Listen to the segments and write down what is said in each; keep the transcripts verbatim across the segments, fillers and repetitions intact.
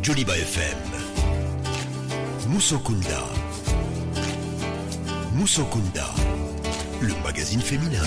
Joliba F M. Musokunda. Musokunda, le magazine féminin.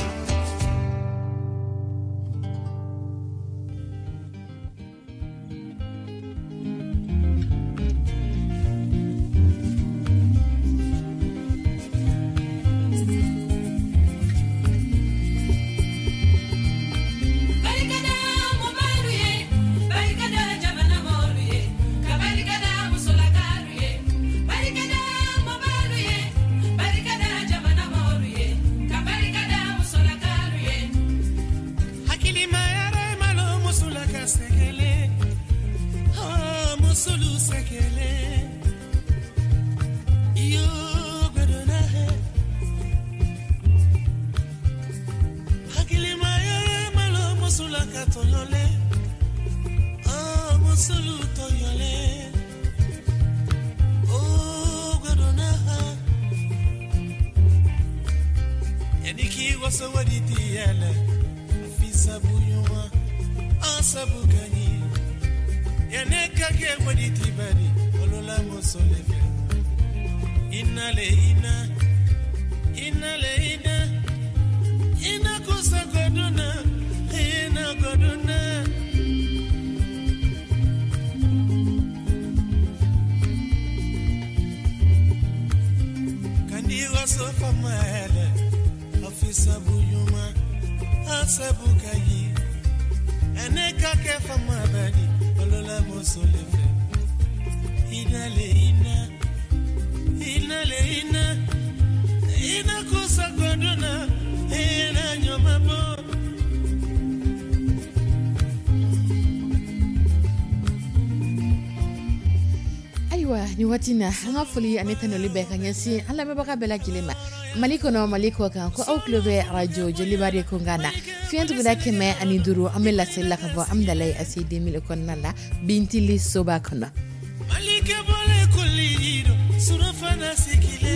Ayiwa, ni waati na, an ka foli ani tanuli bɛɛ ka ɲɛsin an lamɛnbaga bɛɛ lajɛlen ma, Mali kɔnɔ, Mali kɔ kan, ko aw tulo bɛ arajo Joliba de kunkan na, fiɲɛ tuguda kɛmɛ ani duuru. An bɛ laseli la ka bɔ Amidalayi A C deux mille kɔnɔna la, Bintili soba kɔnɔ.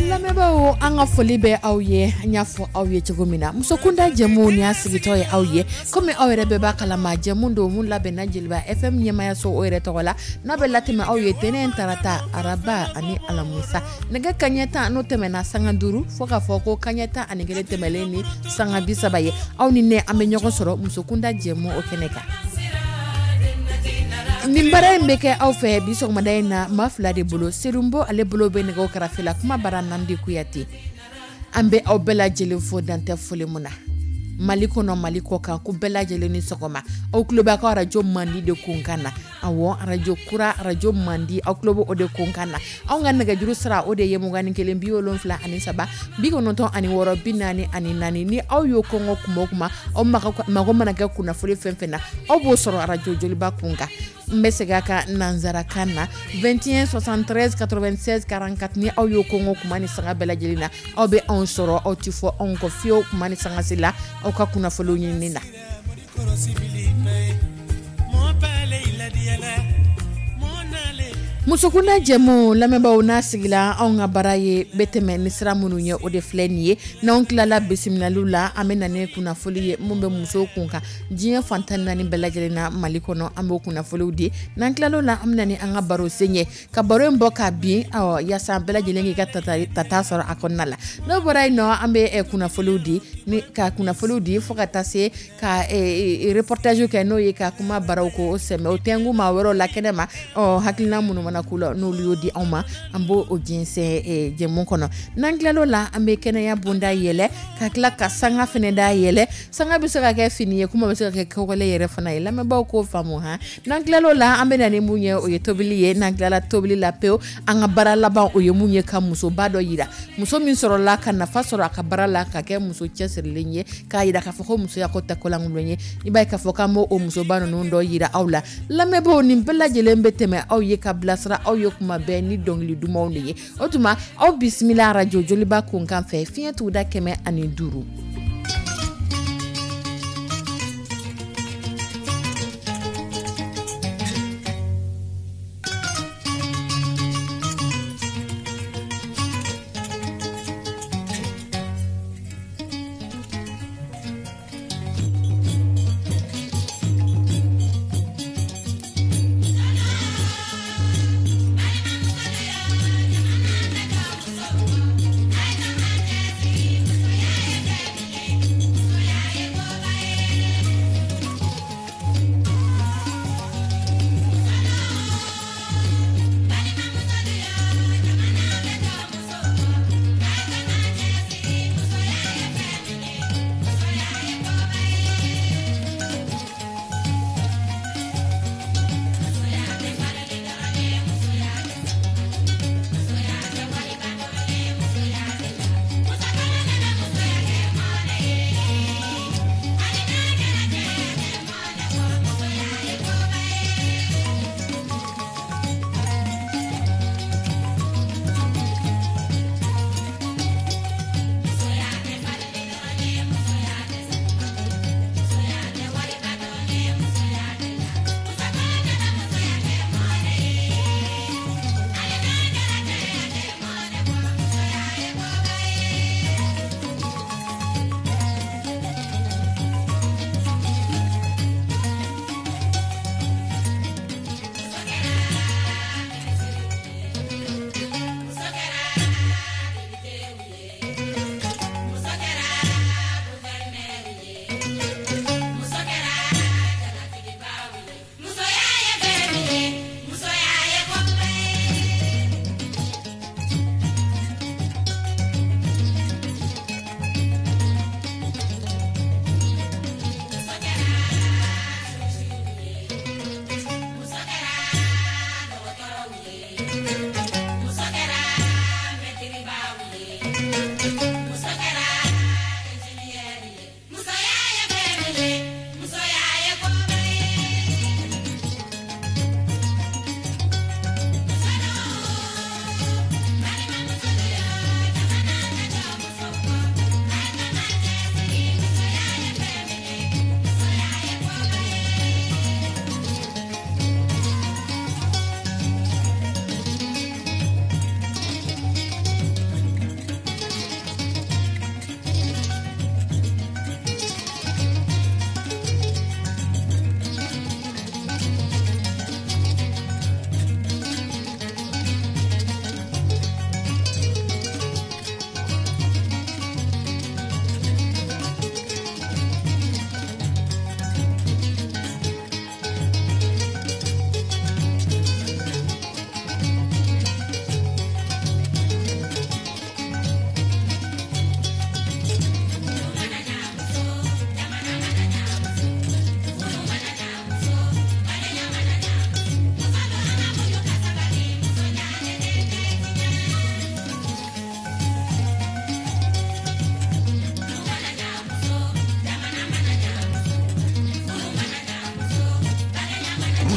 Lamɛnbaaw, an ka foli bɛ aw ye. An y'a fɔ aw ye cogo min na, musokunda jɛmu ni y'a sigitɔ ye aw ye, komi aw yɛrɛ bɛɛ b'a kalama, jɛmu don mun labɛnna Jeliba F M ɲɛmayaso o yɛrɛ tɔgɔ la, n'a bɛ latɛmɛ aw ye tɛnɛn, tarata, araba ani alamisa, nɛgɛ kaɲɛ tan n'o tɛmɛna sanga duuru fo k'a fɔ ko kaɲɛ tan ani kelen tɛmɛlen ni sanga bi saba ye, aw ni ne an bɛ ɲɔgɔn sɔrɔ musokunda jɛmu o kɛnɛ kan. Nin baara in bɛ kɛ aw fɛ bi sɔgɔmada in na maa fila de bolo. Serunbo, ale bolo bɛ nɛgɛw karafe la, kuma bara Nandi Kuyate. An bɛ aw bɛɛ lajɛlen fo, dantɛ foli mun na, Mali kɔnɔ, Mali kɔ kan, ko bɛɛ lajɛlen ni sɔgɔma. Aw tulo b'a ka arajo mandi de kunkan na. Awɔ, arajo kura, arajo mandi, aw tulo bɛ o de kunkan na. Anw ka nɛgɛjuru sira, o de ye mugan ni kelen bi wolonfila ani saba bi kɔnɔntɔn ani wɔɔrɔ bi naani ani naani. Ni aw y'o kɔngɔ kuma o kuma, aw mago mana kɛ kunnafoni fɛn fɛn na, aw b'o sɔrɔ arajo Joliba kun kan. N bɛ segin a kan nanzarakan na: vingt et un soixante-treize quatre-vingt-seize quarante-quatre. Ni aw y'o kɔngɔ kuma ni sanga bɛɛ lajɛlen na, aw bɛ anw sɔrɔ, aw ti fɔ anw kɔ fiyewu kuma ni sanga se la aw ka kunnafoniw ɲinini na. Musokunda jɛmu, lamɛnbaaw, n'a sigila, anw ka baara ye bɛ tɛmɛ ni sira minnu ye, o de filɛ nin ye. N'anw tilala bisimilaliw la, an bɛ na ni kunnafoli ye mun bɛ musow kun kan diɲɛ fan tan naani bɛɛ lajɛlen na, Mali kɔnɔ, an b'o kunnafoliw di. N'an tilal'o la, an bɛ na ni an ka baro sen ye, ka baro in bɔ ka bin, awɔ, yaasa bɛɛ lajɛlen k'i ka tata sɔrɔ a kɔnɔna la. N'o bɔra yen nɔ, an bɛ kunnafoliw di, ni ka kunnafoliw di fo ka taa se ka reportage kɛ, n'o ye ka kuma baraw ko sɛmɛ o tɛnku maa wɛrɛw la kɛnɛ ma. Ɔ, hakilina minnu mana k'u la, n'olu y'o di anw ma, an b'o o jɛnsɛn jɛmu kɔnɔ. N'an tilal'o la, an bɛ kɛnɛya bonda yɛlɛ, ka tila ka sanga fɛnɛ da yɛlɛ. Sanga bɛ se ka kɛ fini ye, kuma bɛ se ka kɛ kɔgɔlen yɛrɛ fana ye, lamɛnbaaw k'o faamu han. N'an tilal'o la, an bɛ na ni mun ye? O ye tobili ye. N'an tilala tobili la pewu, an ka baara laban, o ye mun ye? Ka musoba dɔ yira, muso min sɔrɔla ka nafa sɔrɔ a ka baara la, ka kɛ muso cɛsirilen ye, k'a yira k'a fɔ ko musoya ko tɛ kolankolon ye. I b'a ye k'a fɔ k'an b'o o musoba ninnu dɔ yira aw la. Lamɛnbaaw, nin bɛɛ lajɛlen bɛ tɛmɛ aw ye ka bilasira aw ye kuma bɛɛ ni dɔnkili dumanw de ye. O tuma, aw bisimila arajo Joliba kunkan fɛ, fiɲɛ tuguda kɛmɛ ani duuru.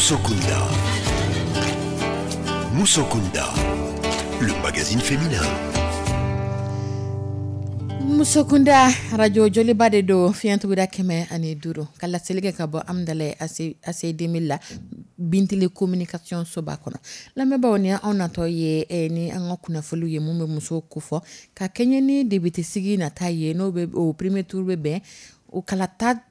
Musokunda. Musokunda, le magazine féminin. Musokunda, radio Joliba de don, fiɲɛtuguda kɛmɛ ani duuru, ka laseli kɛ ka bɔ Amdalaye A C deux mille la, Bintili Communication soba kɔnɔ. Lamɛnbaaw, ni anw natɔ ye eh, ni an ka kunnafoniw ye mun bɛ musow kofɔ ka kɛɲɛ ni député sigi nata ye, n'o bɛ o premier tour bɛ bɛn o kalata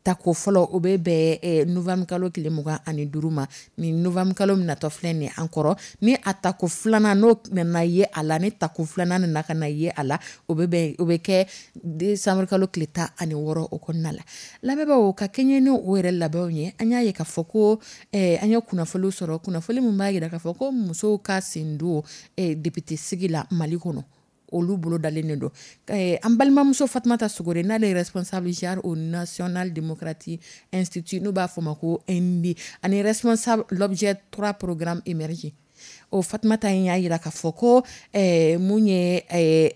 tako fɔlɔ, o bɛ bɛn eh, novembre kalo tile mugan ani duuru ma. Ni novembre kalo min natɔ filɛ nin ye an kɔrɔ, ni a tako filanan n'o nana ye a la, ni tako filanan nana ka na ye a la, o bɛ bɛn o bɛ kɛ décembre kalo tile tan ani wɔɔrɔ. O kɔnɔna la, lamɛnbaaw, ka kɛɲɛ ni o yɛrɛ labɛnw ye, an y'a ye k'a fɔ ko eh, an ye kunnafoniw sɔrɔ, kunnafoni min b'a jira k'a fɔ ko musow ka sen don eh, député sigi la Mali kɔnɔ, olu bolo dalen de don. eh, an balimamuso Fatumata Sogore, n'ale ye responsable genre au National Democratic Institute, n'u b'a fɔ ma ko N D, ani responsable l'objet trois programme émergé, o Fatumata in y'a jira k'a fɔ ko eh, mun ye eh,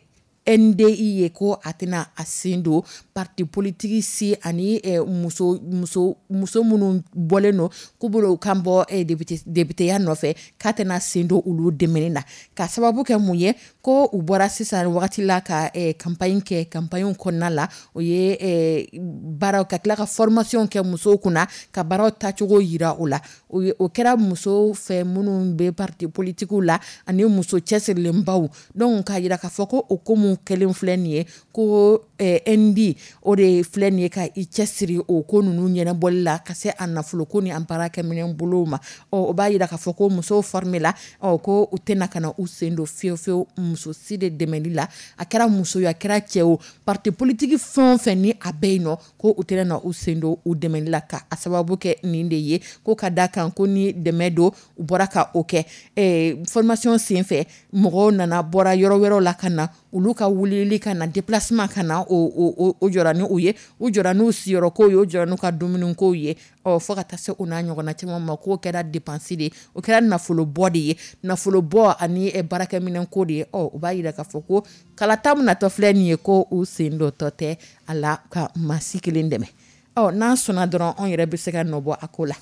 N D I ye, ko a tɛna a sen don parti politique si ani eh, muso muso muso minnu bɔlen don k'u bolo kan bɔ eh, député députéya nɔfɛ, k'a tɛna sen don olu dɛmɛni na. Ka sababu kɛ mun ye? Ko u bɔra sisan wagati la ka eh, campagne kɛ, campagne kɔnɔna la o ye eh, baaraw ka tila ka formation kɛ musow kunna, ka baaraw tacogo yira o la. O ye o kɛra musow fɛ minnu bɛ parti politique la ani muso cɛsirilenbaw. Donc k'a yira k'a fɔ ko o ko mun kɛlen filɛ nin ye, ko eh, N D o de filɛ nin ye ka i cɛsiri o ko ninnu ɲɛnabɔli la, ka se a nafoloko ni an baarakɛminɛn bolow ma. Ɔ, o b'a yira k'a fɔ ko musow formé la, ɔ, ko u tɛna ka na u sen don fiyewu fiyewu muso si de dɛmɛli la, a kɛra muso ye, a kɛra cɛ o, parti politique fɛn o fɛn ni a bɛ yen nɔ, ko u tɛna na u sen don u dɛmɛli la, ka a sababu kɛ nin de ye, ko ka da kan ko ni dɛmɛ don, u bɔra ka o kɛ eh, formation sen fɛ, mɔgɔw nana bɔra yɔrɔ wɛrɛw la ka na, olu ka wulili ka na, déplacement ka na, o o o jɔra ni u ye, u jɔra n'u siyɔrɔkow ye, u jɔra n'u ka dumunikow ye, ɔ, fo ka taa se o n'a ɲɔgɔnna caman ma. K'o kɛra dépense de ye, o kɛra nafolobɔ de ye, nafolobɔ ani baarakɛminɛnko de ye. Ɔ, o b'a yira k'a fɔ ko kalata min natɔ filɛ nin ye, ko u sen dɔ tɔ tɛ a la ka maa si kelen dɛmɛ. Ɔ, n'an sɔnna dɔrɔn, anw yɛrɛ bɛ se ka nɔ bɔ a ko la.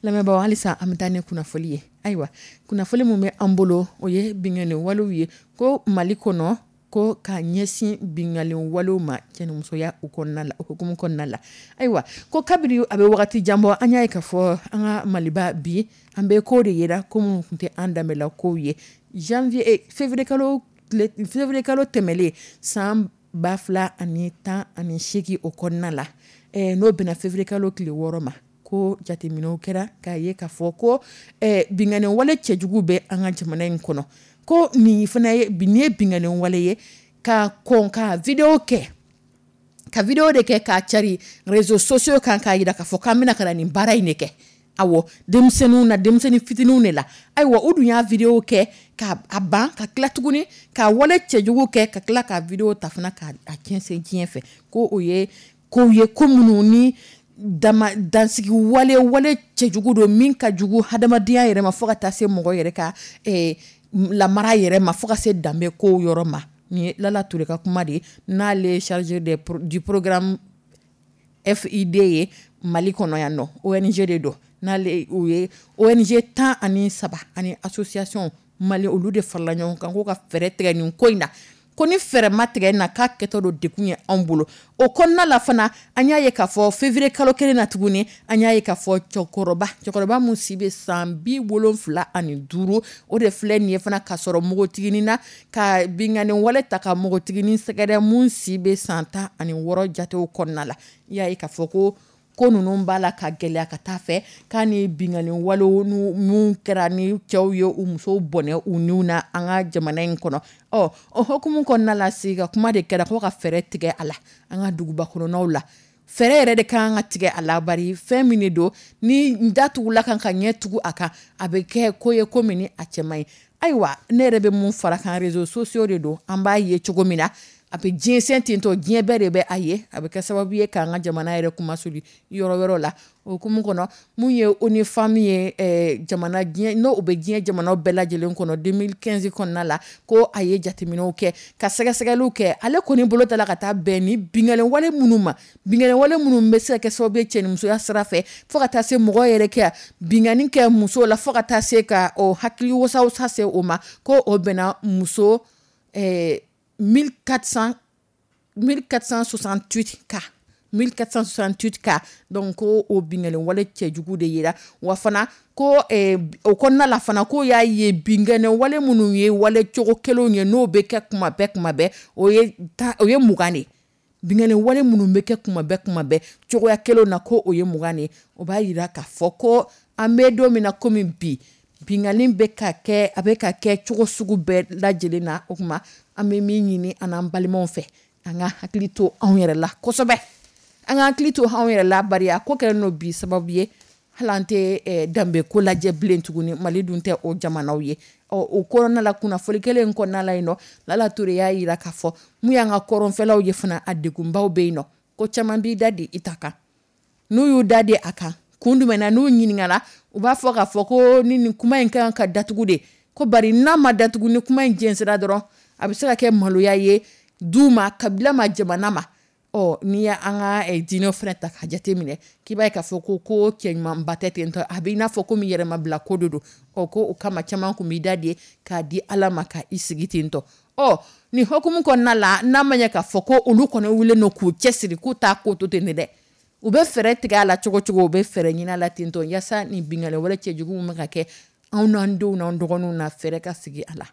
Lamɛnbaaw, halisa an bɛ taa ni kunnafoli ye. Ayiwa, kunnafoli min bɛ an bolo, o ye binkanni walew ye, ko Mali kɔnɔ, ko ka ɲɛsin binkanni walew ma cɛnimusoya o kɔnɔna la, o hukumu kɔnɔna la. Ayiwa, ko kabini a bɛ wagati jan bɔ, an y'a ye k'a fɔ an ka Maliba bi, an bɛ ko de yera ko minnu tun tɛ an danbela kow ye. Janvier eh, février kalo février kalo tɛmɛlen san ba fila ani tan ani seegin, o kɔnɔna la, eh, n'o bɛnna février kalo tile wɔɔrɔ ma, ko jateminɛw kɛra k'a ye k'a fɔ ko eh, binkanni wale cɛjugu bɛ an ka jamana in kɔnɔ, ko nin fana ye nin ye binkanni wale ye, ka kɔn ka vidéo kɛ, ka vidéo de kɛ k'a cari réseaux sociaux kan, k'a yira k'a fɔ k'an bɛna ka na nin baara in de kɛ. Awɔ, denmisɛnninw na, denmisɛnnin fitininw de la. Ayiwa, u dun y'a vidéo kɛ ka a ban, ka tila tuguni ka wale cɛjugu kɛ, ka tila ka vidéo ta fana k'a jɛnsɛn diɲɛ fɛ, ko o ye kow ye, ko minnu ni dama dansigi wale wale cɛjugu don min ka jugu hadamadenya yɛrɛ ma, fo ka taa se mɔgɔ yɛrɛ ka eh, lamara yɛrɛ ma, fo ka se danbe kow yɔrɔ ma. Nin ye Lala Ture ka kuma de ye, n'ale chargé de, du programme F I D ye Mali kɔnɔ yan nɔ, O N G de don, n'ale u ye O N G tan ani saba ani association Mali, olu de farala ɲɔgɔn kan ko ka fɛɛrɛ tigɛ nin ko in na, ko ni fɛɛrɛ ma tigɛ na, k'a kɛtɔ don dekun ye anw bolo. O kɔnɔna la fana, an y'a ye k'a fɔ février kalo kelen na tuguni, an y'a ye k'a fɔ cɛkɔrɔba cɛkɔrɔba mun si bɛ san bi wolonfila ani duuru, o de filɛ nin ye fana k'a sɔrɔ npogotiginin na, ka binkanni wale ta ka npogotiginin sɛgɛrɛ mun si bɛ san tan ani wɔɔrɔ jatew kɔnɔna la. I y'a ye k'a fɔ ko ko ninnu b'a la ka gɛlɛya ka taa fɛ, k'a ni binkanni walew mun kɛra ni cɛw ye u musow bɔnɛ u niw na an ka jamana in kɔnɔ. Ɔ, o hukumu kɔnɔna la, sigi ka kuma de kɛra ko ka fɛɛrɛ tigɛ a la an ka duguba kɔnɔnaw la. Fɛɛrɛ yɛrɛ de kan ka tigɛ a la, bari fɛn min de don ni datugula kan ka ɲɛ tugu a kan, a bɛ kɛ ko ye ko min ni a cɛ man ɲi. Ayiwa, ne yɛrɛ bɛ mun fara kan, réseaux sociaux de don, an b'a ye cogo min na. A bɛ diɲɛsɛn tentɔ, diɲɛ bɛɛ de bɛ a ye. A bɛ kɛ sababu ye k'an ka jamana yɛrɛ kumasuli yɔrɔ wɛrɛw la. O hukumu kɔnɔ, mun ye ONU Femmes ye, jamana diɲɛ n'o bɛ diɲɛ jamanaw bɛɛ lajɛlen kɔnɔ, deux mille quinze kɔnɔna la, ko a ye jateminɛw kɛ ka sɛgɛsɛgɛliw kɛ. Ale kɔni bolo ta la ka taa bɛn ni binkanni wale minnu ma, binkanni wale minnu bɛ se ka kɛ sababu ye cɛnimusoya sira fɛ, fo ka taa se mɔgɔ yɛrɛ kɛ binkanni kɛ muso la, fo ka taa se ka o hakili wasawasa se o ma, ko o bɛnna muso mille quatre cents mille quatre cent soixante-huit cas, mille quatre cent soixante-huit cas. Donc ko o binkanni wale cɛjugu de yera. Wa fana ko o kɔnɔna la fana, ko y'a ye binkanni wale minnu ye wale cogo kelenw ye, n'o bɛ kɛ kuma bɛɛ kuma bɛɛ, o ye o ye mugan de ye. Binkanni wale minnu bɛ kɛ kuma bɛɛ kuma bɛɛ cogoya kelenw na, ko o ye mugan de ye. O b'a yira k'a fɔ ko an bɛ don min na komi bi, binkanni bɛ ka kɛ, a bɛ ka kɛ cogo sugu bɛɛ lajɛlen na. O tuma an bɛ min ɲini an n'an balimaw fɛ, an ka hakili to anw yɛrɛ la kosɛbɛ, an ka hakili to anw yɛrɛ la, bari a ko kɛlen don bi sababu ye hali an tɛ danbe ko lajɛ bilen tuguni. Mali dun tɛ o jamanaw ye. Ɔ o kɔnɔna la, kunnafoni kelen in kɔnɔna la yen nɔ, Lala Ture y'a yira k'a fɔ mun y'an ka kɔrɔnfɛlaw ye fana, a degunbaw bɛ yen nɔ, ko caman b'i da di i ta kan. N'u y'u da di a kan kun jumɛn na, n'u ɲininkala, u b'a fɔ k'a fɔ ko ni nin kuma in kan ka datugu de, ko bari n'a ma datugu, ni kuma in jɛnsɛra dɔrɔn, a bɛ se ka kɛ maloya ye du ma, kabila ma, jamana ma. Ɔ n'i y'an ka diinɛ fana ta ka jate minɛ, k'i b'a ye k'a fɔ ko ko cɛ ɲumanba tɛ ten tɔ, a bɛ i n'a fɔ komi yɛrɛmabila ko de don. Ɔ ko o kama caman tun b'i da de k'a di Ala ma ka i sigi ten tɔ. Ɔ nin hukumu kɔnɔna la, n'a ma ɲɛ k'a fɔ ko olu kɔni wulilen don k'u cɛsiri k'u t'a ko to ten dɛ, u bɛ fɛɛrɛ tigɛ a la cogo cogo, u bɛ fɛɛrɛ ɲini a la ten tɔ, yaasa nin binkanni wale cɛjugu min bɛ ka kɛ anw n'an denw n'an dɔgɔninw na, fɛɛrɛ ka sigi a la.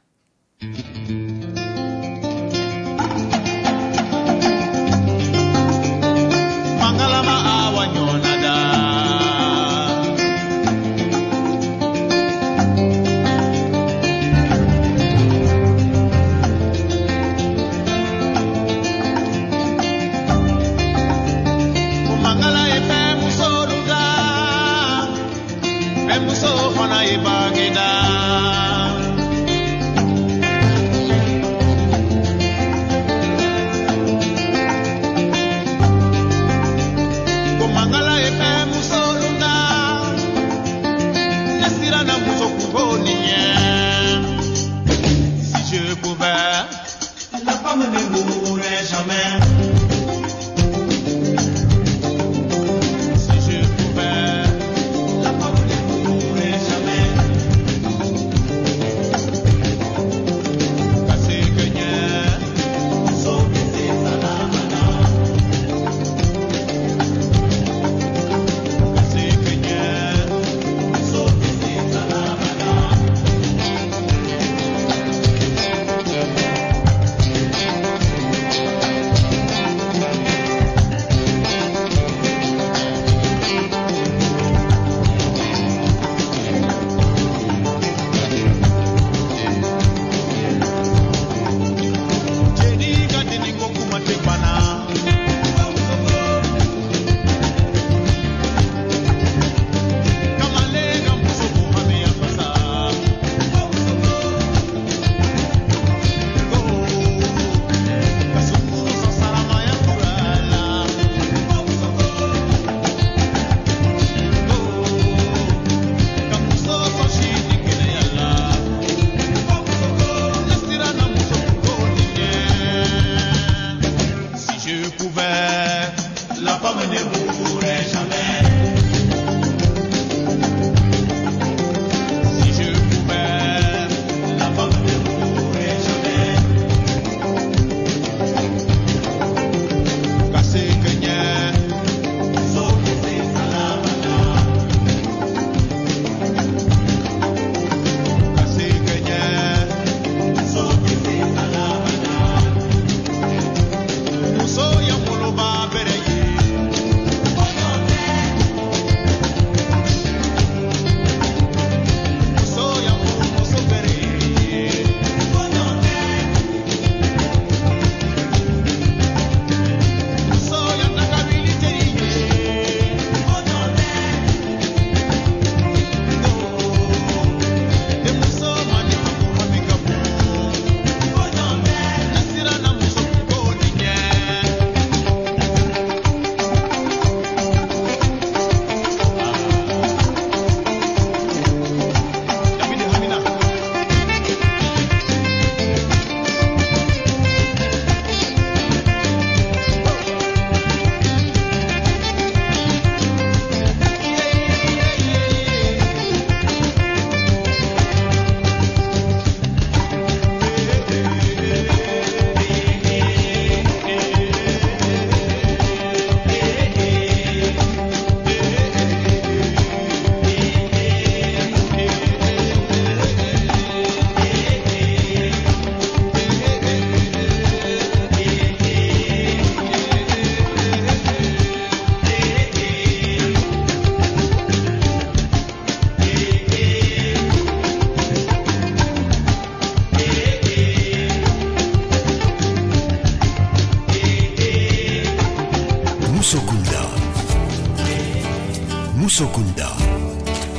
Musokunda,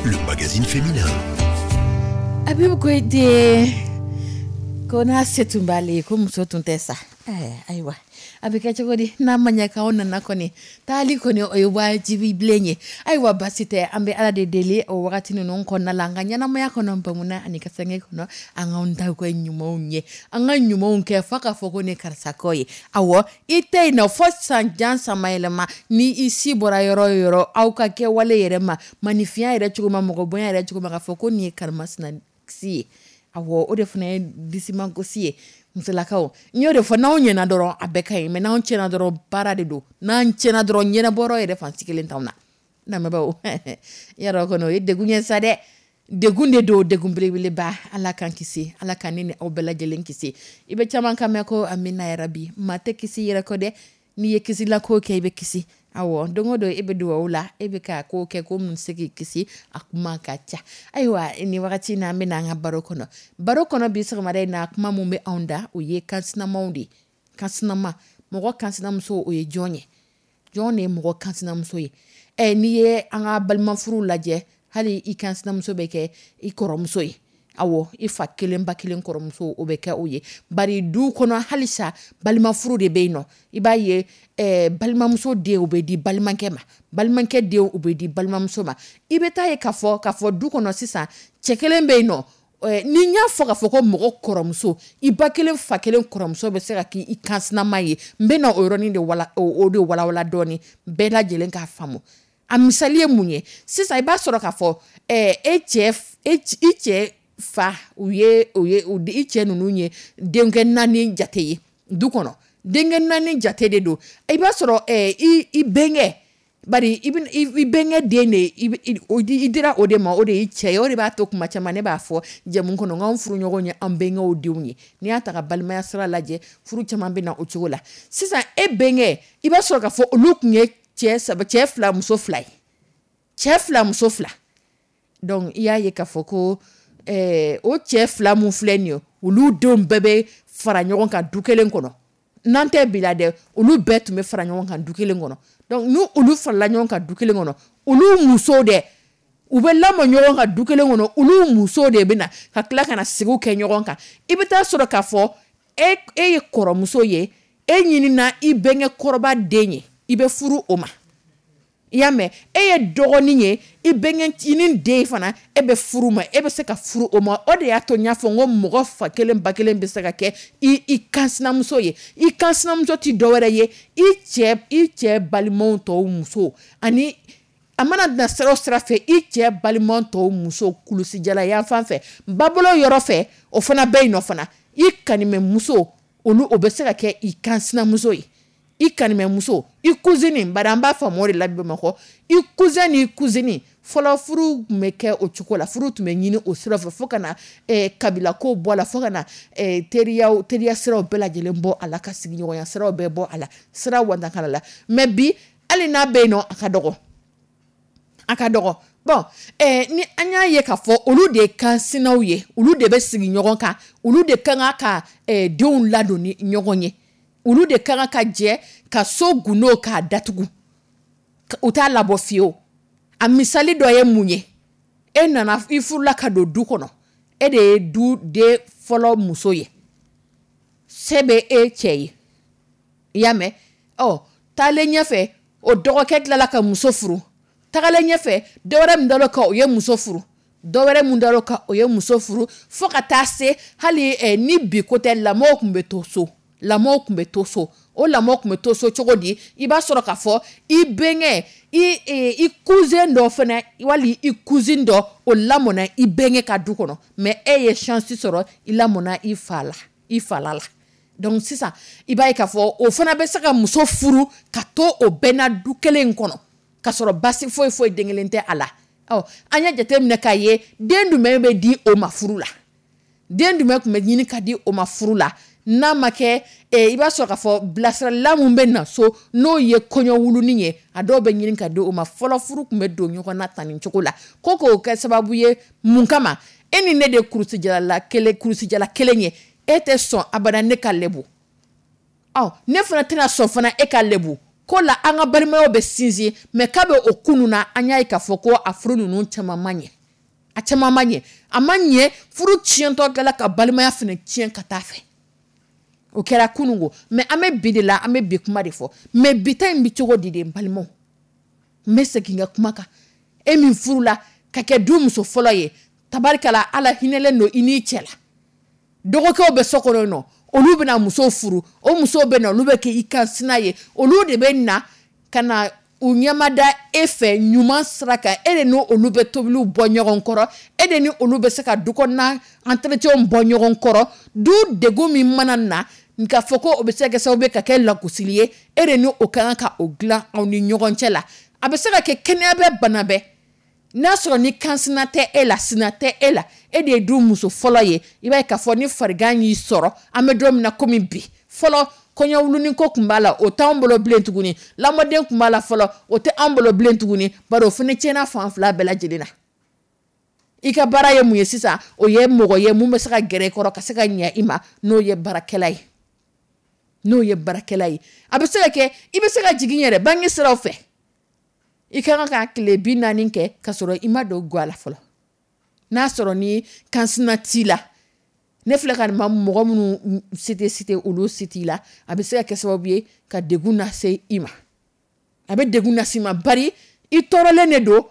le magazine féminin. Habib Koyte ko n'a se tun b'ale ye, ko muso tun tɛ sa. Ayiwa, a bɛ kɛ cogo di n'a ma ɲɛ k'aw nana kɔni, taali kɔni o ye wajibi bilen ye. Ayiwa, basi tɛ, an bɛ Ala de deli o wagati ninnu kɔnɔna la, an ka ɲɛnamaya kɔnɔ, bamuna ani kasange kɔnɔ, an k'anw ta kɛ ɲumanw ye, an ka ɲumanw kɛ fo k'a fɔ ko ne karisa kɔ ye. Awɔ, i tɛ yen nɔ fo san jan samayɛlɛma, ni i si bɔra yɔrɔ o yɔrɔ, aw ka kɛwale yɛrɛ ma, maninfinya yɛrɛ cogo ma, mɔgɔ bonya yɛrɛ cogo ma, k'a fɔ ko nin ye karimasina si ye. Awɔ, o de fana ye disimagosi ye. Musolakaw, n y'o de fɔ, n'anw ɲɛna dɔrɔn a bɛɛ ka ɲi, mɛ n'anw tiɲɛna dɔrɔn baara de don. N'an tiɲɛna dɔrɔn, ɲɛnabɔyɔrɔ yɛrɛ fan si kelen t'anw na. Lamɛnbaaw, yɔrɔ kɔni o ye degun ye sa dɛ, degun de don, degun belebeleba. Ala k'an kisi, Ala ka ne ni aw bɛɛ lajɛlen kisi. I bɛ caman kan mɛn ko amina yarabi, maa tɛ kisi yɛrɛ kɔ dɛ. N'i ye kisila ko kɛ, i bɛ kisi. Awɔ, don o don e bɛ dugawu la, e bɛ ka ko kɛ ko mun se k'i kisi, a kuma ka ca. Ayiwa, nin wagati na, an bɛ an ka baro kɔnɔ. Baro kɔnɔ bi sɔgɔmada in na, kuma mun bɛ anw da, o ye kansinamaw de ye. Kansinama, mɔgɔ kansinamuso, o ye jɔn ye? Jɔn de ye mɔgɔ kansinamuso ye? Ɛ, n'i ye an ka balimafuru lajɛ, hali i kansinamuso bɛ kɛ i kɔrɔmuso ye. Awɔ, i fa kelen ba kelen kɔrɔmuso, o bɛ kɛ o ye. Bari du kɔnɔ halisa balimafuru de bɛ yen nɔ. I b'a ye, eh, balimamuso den o bɛ di balimakɛ ma, balimakɛ den o bɛ di balimamuso ma. I bɛ taa ye k'a fɔ k'a fɔ du kɔnɔ sisan, cɛ kelen bɛ yen nɔ. Ni n y'a fɔ k'a fɔ ko mɔgɔ kɔrɔmuso, i ba kelen fa kelen kɔrɔmuso bɛ se ka k'i kansinama ye, n bɛ na o yɔrɔnin de wala, o de walawala dɔɔnin, bɛɛ lajɛlen k'a faamu. A misali ye mun ye? Sisan i b'a sɔrɔ k'a fɔ e cɛ, i cɛ fa, u ye o ye i cɛ ninnu ye denkɛ naani jate ye du kɔnɔ, denkɛ naani jate de don. I b'a sɔrɔ i i bɛnkɛ, bari i i bɛnkɛ den de i dira o de ma, o de y'i cɛ ye. O de b'a to kuma caman ne b'a fɔ jɛmu kɔnɔ, k'anw furuɲɔgɔnw ye an bɛnkɛw denw ye. N'i y'a ta ka balimaya sira lajɛ, furu caman bɛ na o cogo la. Sisan e bɛnkɛ, i b'a sɔrɔ k'a fɔ olu tun ye cɛ saba, cɛ fila muso fila ye, cɛ fila muso fila. Donc i y'a ye k'a fɔ ko eh, o cɛ fila mun filɛ nin ye, olu denw bɛɛ bɛ fara ɲɔgɔn kan du kelen kɔnɔ. N'an tɛ bi la dɛ, olu bɛɛ tun bɛ fara ɲɔgɔn kan du kelen kɔnɔ. Donc n'u olu farala ɲɔgɔn kan du kelen kɔnɔ, olu musow dɛ, u bɛ lamɔ ɲɔgɔn kan du kelen kɔnɔ, olu musow de bɛ na ka tila ka na sigiw kɛ ɲɔgɔn kan. I bɛ taa sɔrɔ k'a fɔ e e ye kɔrɔmuso ye, e ɲinina i bɛnkɛ kɔrɔba den ye, i bɛ furu o ma. I y'a mɛn, e ye dɔgɔnin ye, i bɛnkɛcinin den fana, e bɛ furu ma, e bɛ se ka furu o ma. O de y'a to n y'a fɔ n ko mɔgɔ fa kelen ba kelen bɛ se ka kɛ i i kansinamuso ye. I kansinamuso ti dɔwɛrɛ ye, i cɛ i cɛ balimaw tɔw muso, ani a mana na sira o sira fɛ, i cɛ balima tɔw muso kulusijala yan fan fɛ, babolo yɔrɔ fɛ, o fana bɛ yen nɔ fana. I kanimɛmuso, olu o bɛ se ka kɛ i kansinamuso ye. I kanimɛmuso, i cousine, bari an b'a faamu o de la Bamakɔ, i cousin ni cousine. Fɔlɔ furu tun bɛ kɛ o cogo la, furu tun bɛ ɲini o sira fɛ, fo ka na eh, kabila ko bɔ a la, fo ka na eh, teriya teriya siraw bɛɛ lajɛlen bɔ a la, ka sigiɲɔgɔnya siraw bɛɛ bɔ a la, sira wantakala la. Mɛ bi, hali n'a bɛ yen nɔ, a ka dɔgɔ, a ka dɔgɔ. Bon, eh, ni an y'a ye k'a fɔ olu de ye kansinaw ye, olu de bɛ sigi ɲɔgɔn kan, olu de ka kan ka eh, denw ladon ni ɲɔgɔn ye, olu de ka kan ka jɛ ka so gundo k'a datugu, u t'a labɔ fiyewu. A misali dɔ ye mun ye? E nana, i furula ka don du kɔnɔ, e de ye du den fɔlɔ muso ye, se bɛ e cɛ ye, i y'a mɛn. Ɔ, taalen ɲɛfɛ, o dɔgɔkɛ tilala ka muso furu. Tagalen ɲɛfɛ, dɔwɛrɛ min dar'o kan, o ye muso furu. Dɔwɛrɛ mun dar'o kan, o ye muso furu, fo ka taa se hali eh, ni bi ko tɛ, lamɔw tun bɛ to so, lamɔw tun bɛ to so. O lamɔ tun bɛ to so cogo di? I b'a sɔrɔ k'a fɔ i bɛnkɛ, i i cousin dɔ fana, wali i cousine dɔ, o lamɔna i bɛnkɛ ka du kɔnɔ, mais e ye chance sɔrɔ, i lamɔna i fa la, i fala la. Donc sisan i b'a ye k'a fɔ o fana bɛ se ka muso furu ka to o bɛɛ na du kelen in kɔnɔ, k'a sɔrɔ basi foyi foyi den kelen tɛ a la. Ɔ, an y'a jateminɛ k'a ye, den jumɛn bɛ di o ma furu la? Den jumɛn tun bɛ ɲini ka di o ma furu la? N'a ma kɛ, i b'a sɔrɔ k'a fɔ bilasiralila mun bɛ na so, n'o ye kɔɲɔ wulunin ye, a dɔw bɛ ɲini ka di o ma. Fɔlɔ furu tun bɛ don ɲɔgɔn na tan nin cogo la, ko k'o kɛ sababu ye mun kama? E ni ne de kurusijala kelen, kurusijala kelen ye, e tɛ sɔn abada ne ka lebu, ɔ ne fana tɛna sɔn fana e ka lebu. Ko la an ka balimayaw bɛ sinsin, mais k'a bɛ o kunun na, an y'a ye k'a fɔ ko a furu ninnu caman ma ɲɛ, a caman ma ɲɛ, a ma ɲɛ. Furu tiɲɛtɔ kɛla ka balimaya fana tiɲɛ ka taa fɛ. O kɛra kunun ko, mais an bɛ bi de la, an bɛ bi kuma de fɔ. Mais bi ta in bɛ cogo di de? N balimaw, n bɛ segin n ka kuma kan. E min furula ka kɛ du muso fɔlɔ ye, tabarikala, Ala hinɛlen don i n'i cɛ la. Dɔgɔkɛw bɛ so kɔnɔ yen nɔ, olu bɛna musow furu, o musow bɛ na, olu bɛ kɛ i kan sina ye, olu de bɛ na ka na u ɲɛmada e fɛ ɲuman sira kan. E de ni olu bɛ tobiliw bɔ ɲɔgɔn kɔrɔ, e de ni olu bɛ se ka du kɔnɔna entretien bɔ ɲɔgɔn kɔrɔ. Du degun min mana na k'a fɔ ko o bɛ se ka kɛ sababu ye ka kɛ lagosili ye, e de ni o ka kan ka o dilan aw ni ɲɔgɔn cɛ la. A bɛ se ka kɛ kɛnɛya bɛ, bana bɛɛ n'a sɔrɔ ni kansina tɛ e la, sina tɛ e la, e de ye du muso fɔlɔ ye. I b'a ye k'a fɔ ni farigan y'i sɔrɔ, an bɛ don min na komi bi, fɔlɔ kɔɲɔwulunin ko tun b'a la, o t'anw bolo bilen tuguni. Lamɔden tun b'a la fɔlɔ, o tɛ anw bolo bilen tuguni, bari o fana tiɲɛna fan fila bɛɛ lajɛlen na. I ka baara ye mun ye sisan? O ye mɔgɔ ye mun bɛ se ka gɛrɛ i kɔrɔ ka se ka ɲɛ i ma, n'o ye baarakɛla ye, n'o ye baarakɛla ye. A bɛ se ka kɛ i bɛ se ka jigin yɛrɛ bange siraw fɛ. I ka kan ka tile bi naani kɛ ka sɔrɔ i ma don ga la fɔlɔ, n'a sɔrɔ ni kansina t'i la. Ne filɛ ka nin ma mɔgɔ minnu cité cité, olu si t'i la. A bɛ se ka kɛ sababu ye ka degun lase i ma, a bɛ degun lase i ma, bari i tɔɔrɔlen de don,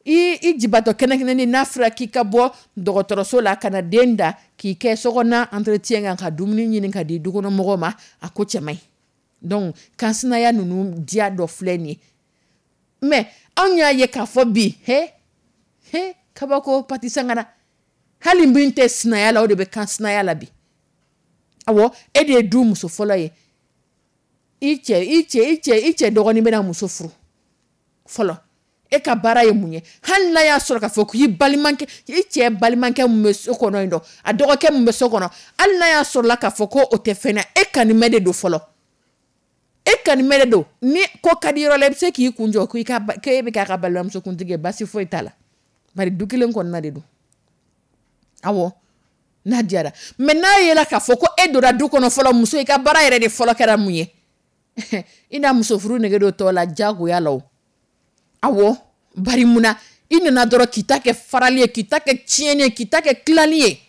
i i jibatɔ kɛnɛkɛnɛni. N'a fɔra k'i ka bɔ dɔgɔtɔrɔso la ka na den da k'i kɛ sokɔnɔna entretien kan, ka dumuni ɲini ka di dukɔnɔmɔgɔw ma, a ko cɛ man ɲi. Donc kansinaya ninnu diya dɔ filɛ nin ye. Mais anw y'a ye k'a fɔ bi, he he, kabako pati sangara, hali min tɛ sinaya la, o de bɛ kan sinaya la bi. Awɔ, e de ye du muso fɔlɔ ye. I cɛ i cɛ i cɛ i cɛ dɔgɔnin bɛna muso furu fɔlɔ, e ka baara ye mun ye? Hali n'a y'a sɔrɔ k'a fɔ k'i balimakɛ, i cɛ balimakɛ mun bɛ so kɔnɔ yen nɔ, a dɔgɔkɛ mun bɛ so kɔnɔ, hali n'a y'a sɔrɔ la k'a fɔ ko o tɛ fɛn na, e kanimɛ de don fɔlɔ, e kanimɛ de don. Ni ko ka di yɔrɔ la, i bɛ se k'i kun jɔ ko i ka k'e bɛ k'a ka balimamuso kuntigi ye, basi foyi t'a la, bari du kelen kɔnɔna de don. Awɔ, n'a diyara. Mais n'a yela k'a fɔ ko e donna du kɔnɔ fɔlɔ, muso, i ka baara yɛrɛ de fɔlɔ kɛra mun ye? I n'a muso furu nege don tɔ la diyagoya la o. Awɔ, bari mun na? I nana dɔrɔn k'i ta kɛ farali ye, k'i ta kɛ tiɲɛni ye, k'i ta kɛ tilali ye.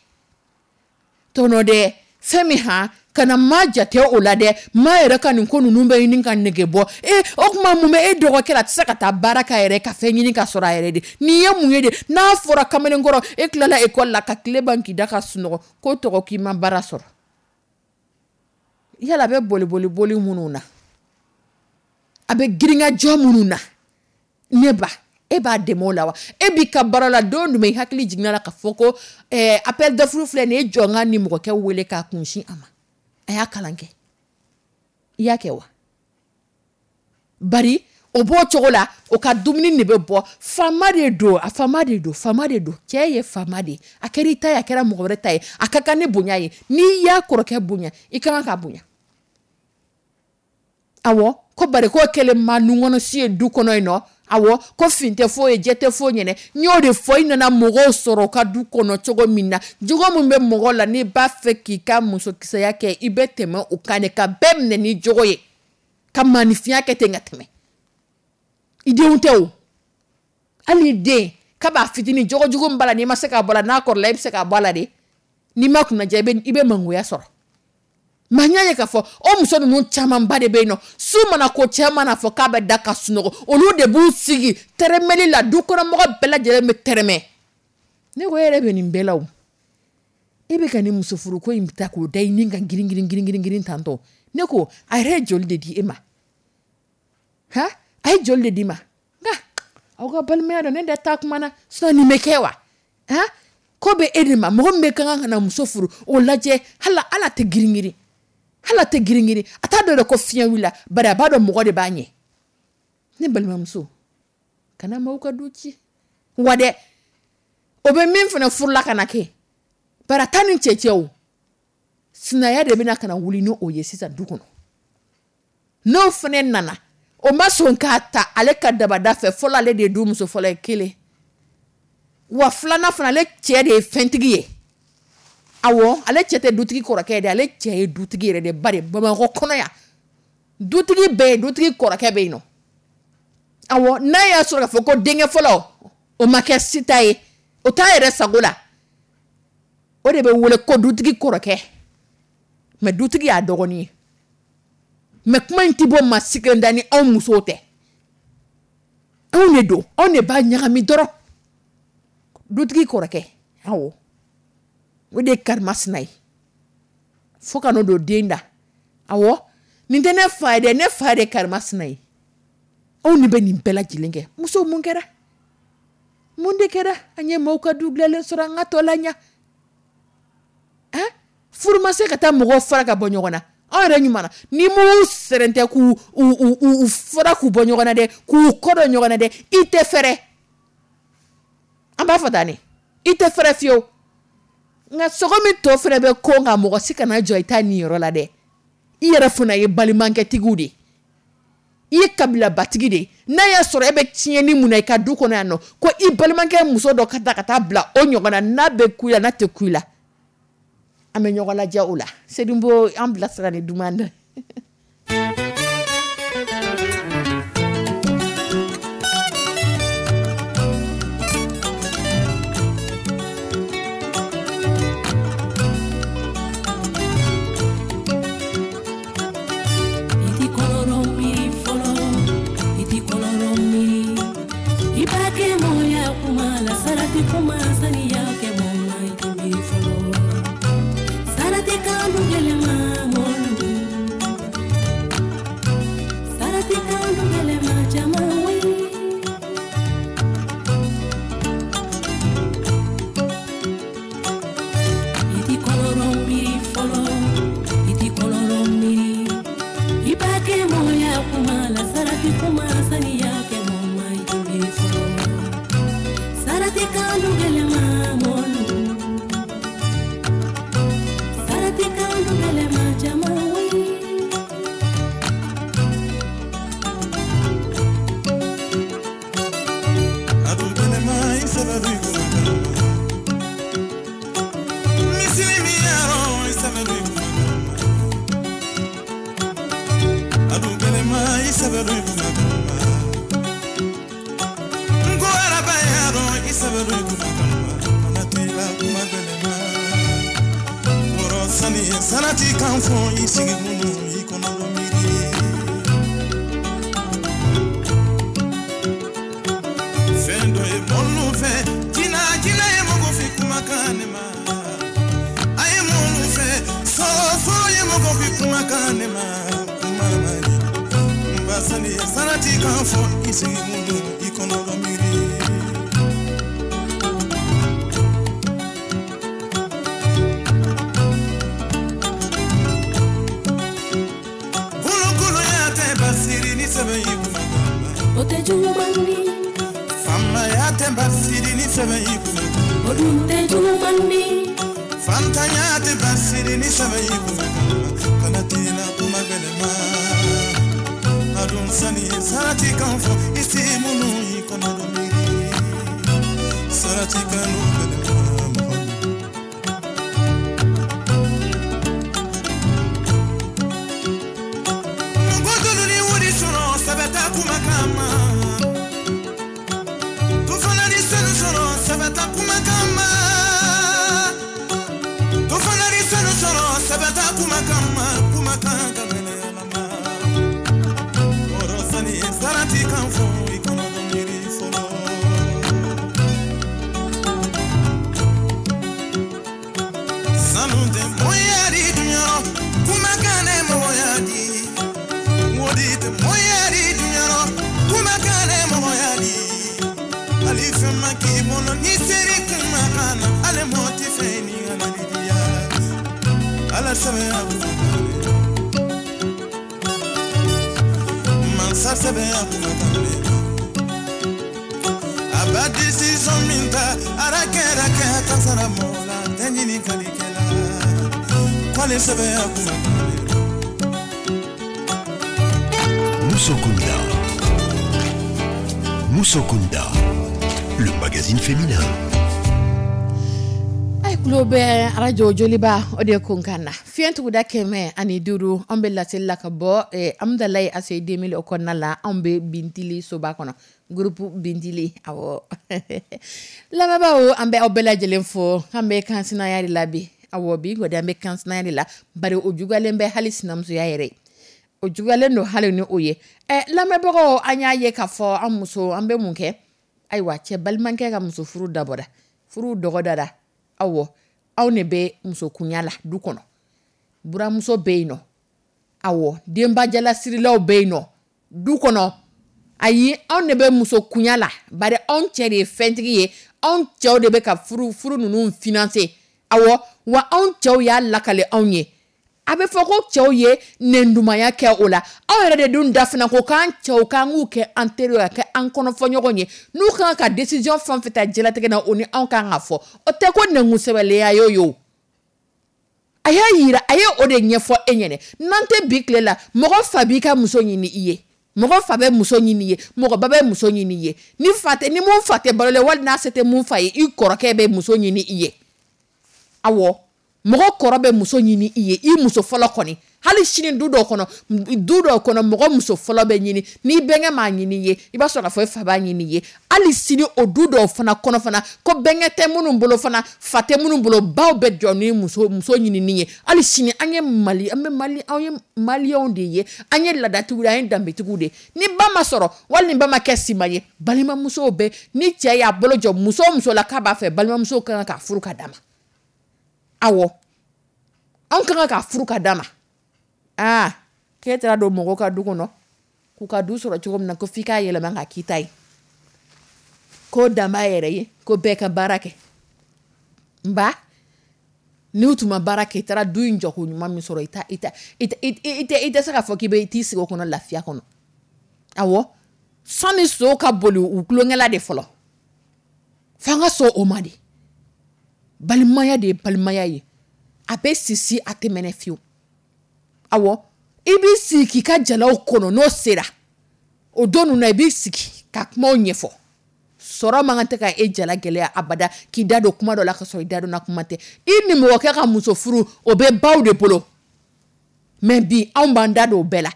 Tɔnɔ dɛ, fɛn min han kana maa jate o la dɛ. Maa yɛrɛ ka nin ko ninnu bɛ ɲini ka nege bɔ e. O tuma mun bɛ e dɔgɔkɛ la? A tɛ se ka taa baara k'a yɛrɛ ka fɛn ɲini ka sɔrɔ a yɛrɛ de. Nin ye mun ye de? N'a fɔra kamalenkɔrɔ, e tilala ekɔli la ka tile ban k'i da ka sunɔgɔ, ko tɔgɔ k'i ma baara sɔrɔ. Yala a bɛ boli boli boli minnu na, a bɛ girinkajɔ minnu na, ne ba, e b'a dɛmɛ o la wa? E b'i ka baara la, don jumɛn i hakili jiginna la k'a fɔ ko ɛɛ appel d'offre filɛ nin ye, e jɔ n ka nin mɔgɔkɛ wele k'a kunsin a ma, a y'a kalan kɛ? I y'a kɛ wa? Bari o b'o cogo la, o ka dumuni de bɛ bɔ. Faama de don, a faama de don, faama de don. Cɛ ye faama de ye. A kɛra i ta ye, a kɛra mɔgɔ wɛrɛ ta ye, a ka kan ni bonya ye. N'i y'a kɔrɔkɛ bonya, i ka kan k'a bonya. Awɔ, ko bari k'o kɛlen ma nunkɔnɔsi ye du kɔnɔ yen nɔ. Awɔ, ko fin tɛ foyi ye, jɛ tɛ foyi ɲɛnɛ. N y'o de fɔ, i nana mɔgɔw sɔrɔ u ka du kɔnɔ cogo min na, jogo min bɛ mɔgɔ la, n'i b'a fɛ k'i ka musokisɛya kɛ, i bɛ tɛmɛ o kan de, ka bɛɛ minɛ ni jogo ye, ka maanifinya kɛ ten ka tɛmɛ. I denw tɛ o, hali i den k'a fitinin, jogo jugu min b'a la, n'i ma se k'a bɔ a la, n'a kɔrɔla, i bɛ se k'a bɔ a la de. N'i ma kunnaja, i bɛ i bɛ mangoya sɔrɔ. Maa n y'a ye k'a fɔ o muso ninnu camanba de bɛ yen nɔ, su mana ko, cɛ mana fɔ k'a bɛ da ka sunɔgɔ, olu de b'u sigi tɛrɛmɛli la, du kɔnɔmɔgɔ bɛɛ lajɛlen bɛ tɛrɛmɛ. Ne ko e yɛrɛ bɛ nin bɛɛ la o, e bɛ ka nin muso furuko in ta k'o da i ni kan girin girin girin girin girin tantɔ. Ne ko a yɛrɛ ye joli de di e ma? Han, a ye joli de d'i ma? Nka aw ka balimaya dɔn, ne da taa kuma na, sinon nin bɛ kɛ wa? Han, ko bɛ e de ma, mɔgɔ min bɛ ka kan ka na muso furu, o lajɛ, hali ala tɛ girin girin, hali a tɛ girin girin, a t'a dɔn yɛrɛ ko fiɲɛ wulila, bari a b'a dɔn mɔgɔ de b'a ɲɛ. Ne balimamuso, kana maaw ka du ci wa dɛ. O bɛ min fana furula ka na kɛ, bari a taa ni cɛ cɛ o, sinaya de bɛna ka na wuli ni o ye sisan du kɔnɔ. N'o fana nana, o ma sɔn k'a ta ale ka dabada fɛ fɔlɔ, ale de ye du muso fɔlɔ ye kelen wa, filanan fana, ale cɛ de ye fɛntigi ye. Awɔ, ale cɛ tɛ dutigi kɔrɔkɛ ye dɛ, ale cɛ ye dutigi yɛrɛ de. Bari Bamakɔ kɔnɔ yan, Dutigi bɛ yen, dutigi kɔrɔkɛ bɛ yen nɔ. Awɔ, n'a y'a sɔrɔ k'a fɔ ko denkɛ fɔlɔ o ma kɛ sita ye, o t'a yɛrɛ sago la, o de bɛ wele ko dutigi kɔrɔkɛ. Mais dutigi y'a dɔgɔnin ye. Mais kuma in ti bɔ maa si kelen da ni anw musow tɛ. Anw de don, anw de b'a ɲagami dɔrɔn. Dutigi kɔrɔkɛ, awɔ, o de ye karimasina ye fo ka n'o don den da. Awɔ, nin tɛ ne fa ye dɛ, ne fa de ye karimasina ye. Anw de bɛ nin bɛɛ lajɛlen kɛ. Musow, mun kɛra? Mun de kɛra? An ye maaw ka du dilanlen sɔrɔ, an ka tɔ la ɲa. Han, furu ma se ka taa mɔgɔw fara ka bɔ ɲɔgɔn na. Anw yɛrɛ ɲuman na, ni m'u sɛrɛntɛ k'u u u u fara k'u bɔ ɲɔgɔn na dɛ, k'u kɔ dɔn ɲɔgɔn na dɛ, i tɛ fɛrɛ. An b'a fɔ tan de, i tɛ fɛrɛ fiyewu. Nka sogo min tɔ fɛnɛ bɛ ko nka mɔgɔ si kana jɔ i ta nin yɔrɔ la dɛ. I yɛrɛ fana ye balimakɛtigiw de ye, i ye kabilabatigi de ye. N'a y'a sɔrɔ e bɛ tiɲɛni mun na i ka du kɔnɔ yan nɔ, ko i balimakɛ muso dɔ ka taa ka taa bila o ɲɔgɔn na, n'a bɛ ku i la, n'a tɛ ku i la, an bɛ ɲɔgɔn lajɛ o la. Sedinbo, an bilasira ni duman dɛ. Sarati kan fɔ i sigi minnu i kɔnɔ miiri fɛn dɔ ye mɔnu fɛ jinɛ jinɛ ye mɔgɔ fi kumakan ne ma a ye mɔnu fɛ sɔsɔ ye mɔgɔ fi kumakan ne ma kuma ma di n ba sani sarati kan fɔ i sigi minnu i kɔnɔ miiri. O tɛ juguman di, faamaya tɛ basiri ni sɛbɛn y'i kunna. O dun tɛ juguman di, fantanya tɛ basiri ni sɛbɛn y'i kunna. Kana tila kuma gɛlɛn ma, a dun sani sarati kan fɔ i si minnu y'i kɔnɔ dɔ miiri sarati kan n'o gɛlɛn ma mɔgɔ. Mɔgɔ dolu ni wari sɔrɔ sɛbɛ t'a kumakan ma. Sɛbɛta kumakan ma, to fana ni sanu sɔrɔ sɛbɛta kumakan ma, kumakan ka gɛlɛn Ala ma. Kɔrɔ sani sarati kan fɔ i kɔnɔ dɔ miiri fɔlɔ. Sanu tɛ mɔya di duɲarɔ, kumakan ne mɔgɔya di. Wodi tɛ mɔya di duɲarɔ, kumakan ne mɔgɔya di. Ali fɛn ma k'i bolo ni seri kumakan na, ale mɔ tɛ fɛn ni ala ni diya. Ala sɛbɛn a kumakan de, mansa sɛbɛn a kumakan de. A ba décision min ta, ara kɛra kɛ kasara mɔgɔ la, tɛ ɲininkalikɛla. K'ale sɛbɛn a kumakan de. Musokunda. Musokunda, le magazine féminin. Tulo bɛ arajo Joliba o de kunkan na, fiɲɛ tuguda kɛmɛ ani duuru. An bɛ laseli la ka bɔ Amudalayi A C I deux mille o kɔnɔna la. Anw bɛ Bintili soba kɔnɔ, groupe Bintili. Awɔ, lamɛnbaaw, an bɛ aw bɛɛ lajɛlen fo. An bɛ kansinaya de la bi. Awɔ, bi kɔni an bɛ kansinaya de la, bari o juguyalen bɛ hali sinamusoya yɛrɛ, o juguyalen don hali ni o ye. Ɛ, lamɛnbagaw, an y'a ye k'a fɔ an muso, an bɛ mun kɛ? Ayiwa, cɛ balimakɛ ka muso furu dabɔra, furu dɔgɔdara. Awɔ, anw de bɛ musokunya la du kɔnɔ. Buramuso bɛ yen nɔ, awɔ, denbajalasirilaw bɛ yen nɔ du kɔnɔ. Ayi, anw de bɛ musokunya la, bari anw cɛ de ye fɛntigi ye. Anw cɛw de bɛ ka furu furu ninnu financer. Awɔ, wa anw cɛw y'a lakale anw ye. A bɛ fɔ ko cɛw ye nɛndumanya kɛ o la. Aw yɛrɛ de dun da fana ko k'an cɛw k'an k'u kɛ an teri ye, ka kɛ an kɔnɔfɔɲɔgɔn ye. N'u kan ka décision fɛn o fɛn ta diɲɛlatigɛ na, o ni anw kan ka fɔ. O tɛ ko nɛnkun sɛbɛlenya ye o. A y'a yira, a ye o de ɲɛfɔ e ɲɛnɛ. N'an tɛ bi tile la, mɔgɔ fa b'i ka muso ɲini i ye, mɔgɔ fa bɛ muso ɲini i ye, mɔgɔ ba bɛ muso ɲini i ye. Ni fa tɛ, ni mun fa tɛ balo la, wali n'a se tɛ mun fa ye, i kɔrɔkɛ bɛ muso ɲini i ye. Awɔ, mɔgɔ kɔrɔ bɛ muso ɲini i ye, i muso fɔlɔ kɔni. Hali sini, du dɔw kɔnɔ, du dɔw kɔnɔ, mɔgɔ muso fɔlɔ bɛ ɲini. N'i bɛnkɛ m'a ɲini i ye, i b'a sɔrɔ k'a fɔ i fa b'a ɲini i ye. Hali sini, o du dɔw fana kɔnɔ fana, ko bɛnkɛ tɛ minnu bolo fana, fa tɛ minnu bolo, baw bɛ jɔ ni muso muso ɲinini ye. Hali sini, an ye Mali, an bɛ Mali, anw ye Maliyɛnw de ye, an ye laadatigiw de ye, an ye danbetigiw de ye. Ni ba ma sɔrɔ, wali ni ba ma kɛ sima ye, balimamusow bɛ. Ni cɛ y'a bolo jɔ muso o muso la k'a b'a fɛ, balimamuso ka kan k'a furu ka d'a ma. Awɔ, anw ka kan k'a furu ka d'a ma. Aa, k'e taara don mɔgɔw ka du kɔnɔ k'u ka du sɔrɔ cogo min na, ko f'i k'a yɛlɛma ka k'i ta ye, ko dan b'a yɛrɛ ye, ko bɛɛ ka baara kɛ. Nba n'u tun ma baara kɛ, i taara du in jɔ ko ɲuman min sɔrɔ, i ta i ta i tɛ i tɛ se k'a fɔ k'i bɛ t'i sigi o kɔnɔ lafiya kɔnɔ. Awɔ, sani so ka boli u tulonkɛla de fɔlɔ, f'an ka sɔn o ma de. Balimaya de ye balimaya ye, a bɛ sisi, a tɛ mɛnɛ fiyewu. Awɔ, i b'i sigi k'i ka jalaw kɔnɔ. N'o sera o don ninnu na, i b'i sigi ka kumaw ɲɛfɔ. Sɔrɔ man kan tɛ ka e jala gɛlɛya abada k'i da don kuma dɔ la ka sɔrɔ i da donna kuma tɛ. I nimɔgɔkɛ ka muso furu, o bɛ baw de bolo. Mais bi, anw b'an da don o bɛɛ la,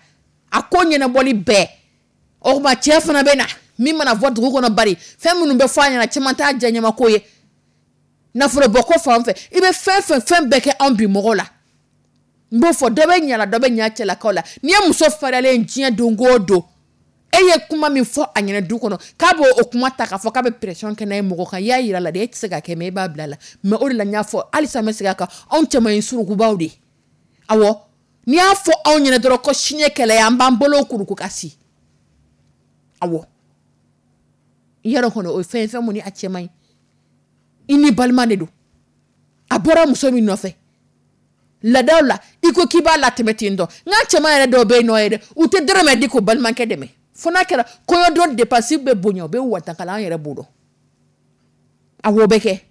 a ko ɲɛnabɔli bɛɛ. O tuma, cɛ fana bɛ na min mana fɔ dugu kɔnɔ, bari fɛn minnu bɛ fɔ a ɲɛna, caman t'a diya ɲɛmako ye. Nafolo bɔ ko fan fɛ, i bɛ fɛn fɛn fɛn bɛɛ kɛ anw bi mɔgɔw la. N b'o fɔ, dɔ bɛ ɲa la, dɔ bɛ ɲa cɛlakaw la. N'i ye muso fariyalen diɲɛ don o don, e ye kuma min fɔ a ɲɛna du kɔnɔ, k'a b'o o kuma ta k'a fɔ k'a bɛ pression kɛ n'a ye mɔgɔ kan, i y'a yira la de, e tɛ se ka kɛ, mais e b'a bila la. Mais o de la n y'a fɔ, halisa n bɛ segin a kan, anw cɛman ye surukubaw de ye. Awɔ, n'i y'a fɔ anw ɲɛna dɔrɔn ko sini ye kɛlɛ ye, an b'an bolo kuruku ka si. Awɔ, i yɛrɛ kɔni, o ye fɛn ye, fɛn mun ni a cɛ man ɲi. I ni balima de don. A bɔra muso min nɔfɛ laadaw la, i ko k'i b'a latɛmɛ ten tɔ. N ka cɛman yɛrɛ dɔw bɛ yen nɔ yɛrɛ, u tɛ dɔrɔmɛ di k'o balimakɛ dɛmɛ, fo n'a kɛra kɔɲɔdon dépense bɛ bonya, u bɛ watakala. An yɛrɛ b'o dɔn. Awɔ, o bɛ kɛ.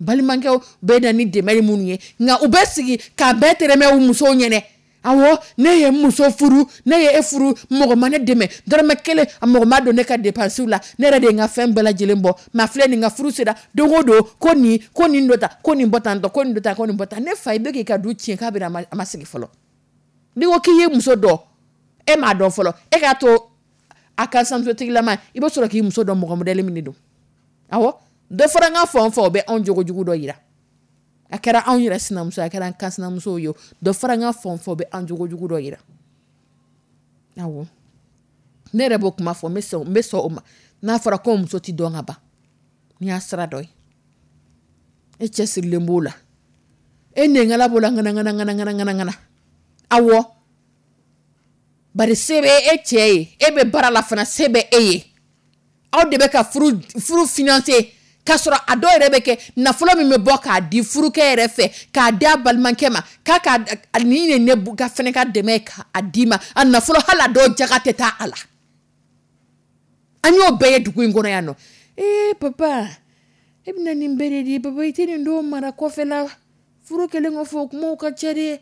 Balimakɛw bɛ na ni dɛmɛ minnu ye, nka u bɛ sigi k'a bɛɛ tɛrɛmɛ u musow ɲɛnɛ. Awɔ, ne ye muso furu, ne ye e furu, mɔgɔ ma ne dɛmɛ dɔrɔmɛ kelen, a mɔgɔ ma don ne ka dépense la, ne yɛrɛ de ye n ka fɛn bɛɛ lajɛlen bɔ. Mais a filɛ nin, ka furu sera, don o don ko nin, ko nin dɔ ta, ko nin bɔ tan tɔ, ko nin dɔ ta, ko nin bɔ tan. Ne fa, i bɛ k'i ka du tiɲɛ k'a bɛna a ma sigi fɔlɔ. N'i ko k'i ye muso dɔn, e m'a dɔn fɔlɔ. E k'a to a ka sinamusotigilama, i bɛ sɔrɔ k'i muso dɔn, mɔgɔ modèle min de don. Awɔ, dɔ fɔra n ka fan o fan, o bɛ anw jogojugu dɔ yira. A kɛra anw yɛrɛ sinamuso, a kɛra an ka sinamusow ye, dɔ fɔra n ka fan o fan, o bɛ an jogojugu dɔ yira. Awɔ, ne yɛrɛ b'o kuma fɔ, n bɛ sɔn, n bɛ sɔn o ma. N'a fɔra ko muso ti dɔn ka ban, n'i y'a sira dɔ ye, e cɛsirilen b'o la, e nɛnkala b'o la, ŋana ŋana ŋana ŋana ŋana ŋana. Awɔ, bari se bɛ e cɛ ye, e bɛ baara la fana, se bɛ e ye. Aw de bɛ ka furu furu financer, k'a sɔrɔ a dɔw yɛrɛ bɛ kɛ nafolo min bɛ bɔ k'a di furukɛ yɛrɛ fɛ, k'a di a balimakɛ ma, k'a ka nin ye ne ka fɛnɛ ka dɛmɛ ye k'a d'i ma, a nafolo, hali a dɔw jaga tɛ taa a la. An y'o bɛɛ ye dugu in kɔnɔ yan nɔ. Ee papa, e bɛna nin bɛɛ de di? Papa, i tɛ nin dɔw mara kɔfɛ la? Furu kɛlen kɔfɛ, o kumaw ka ca dɛ.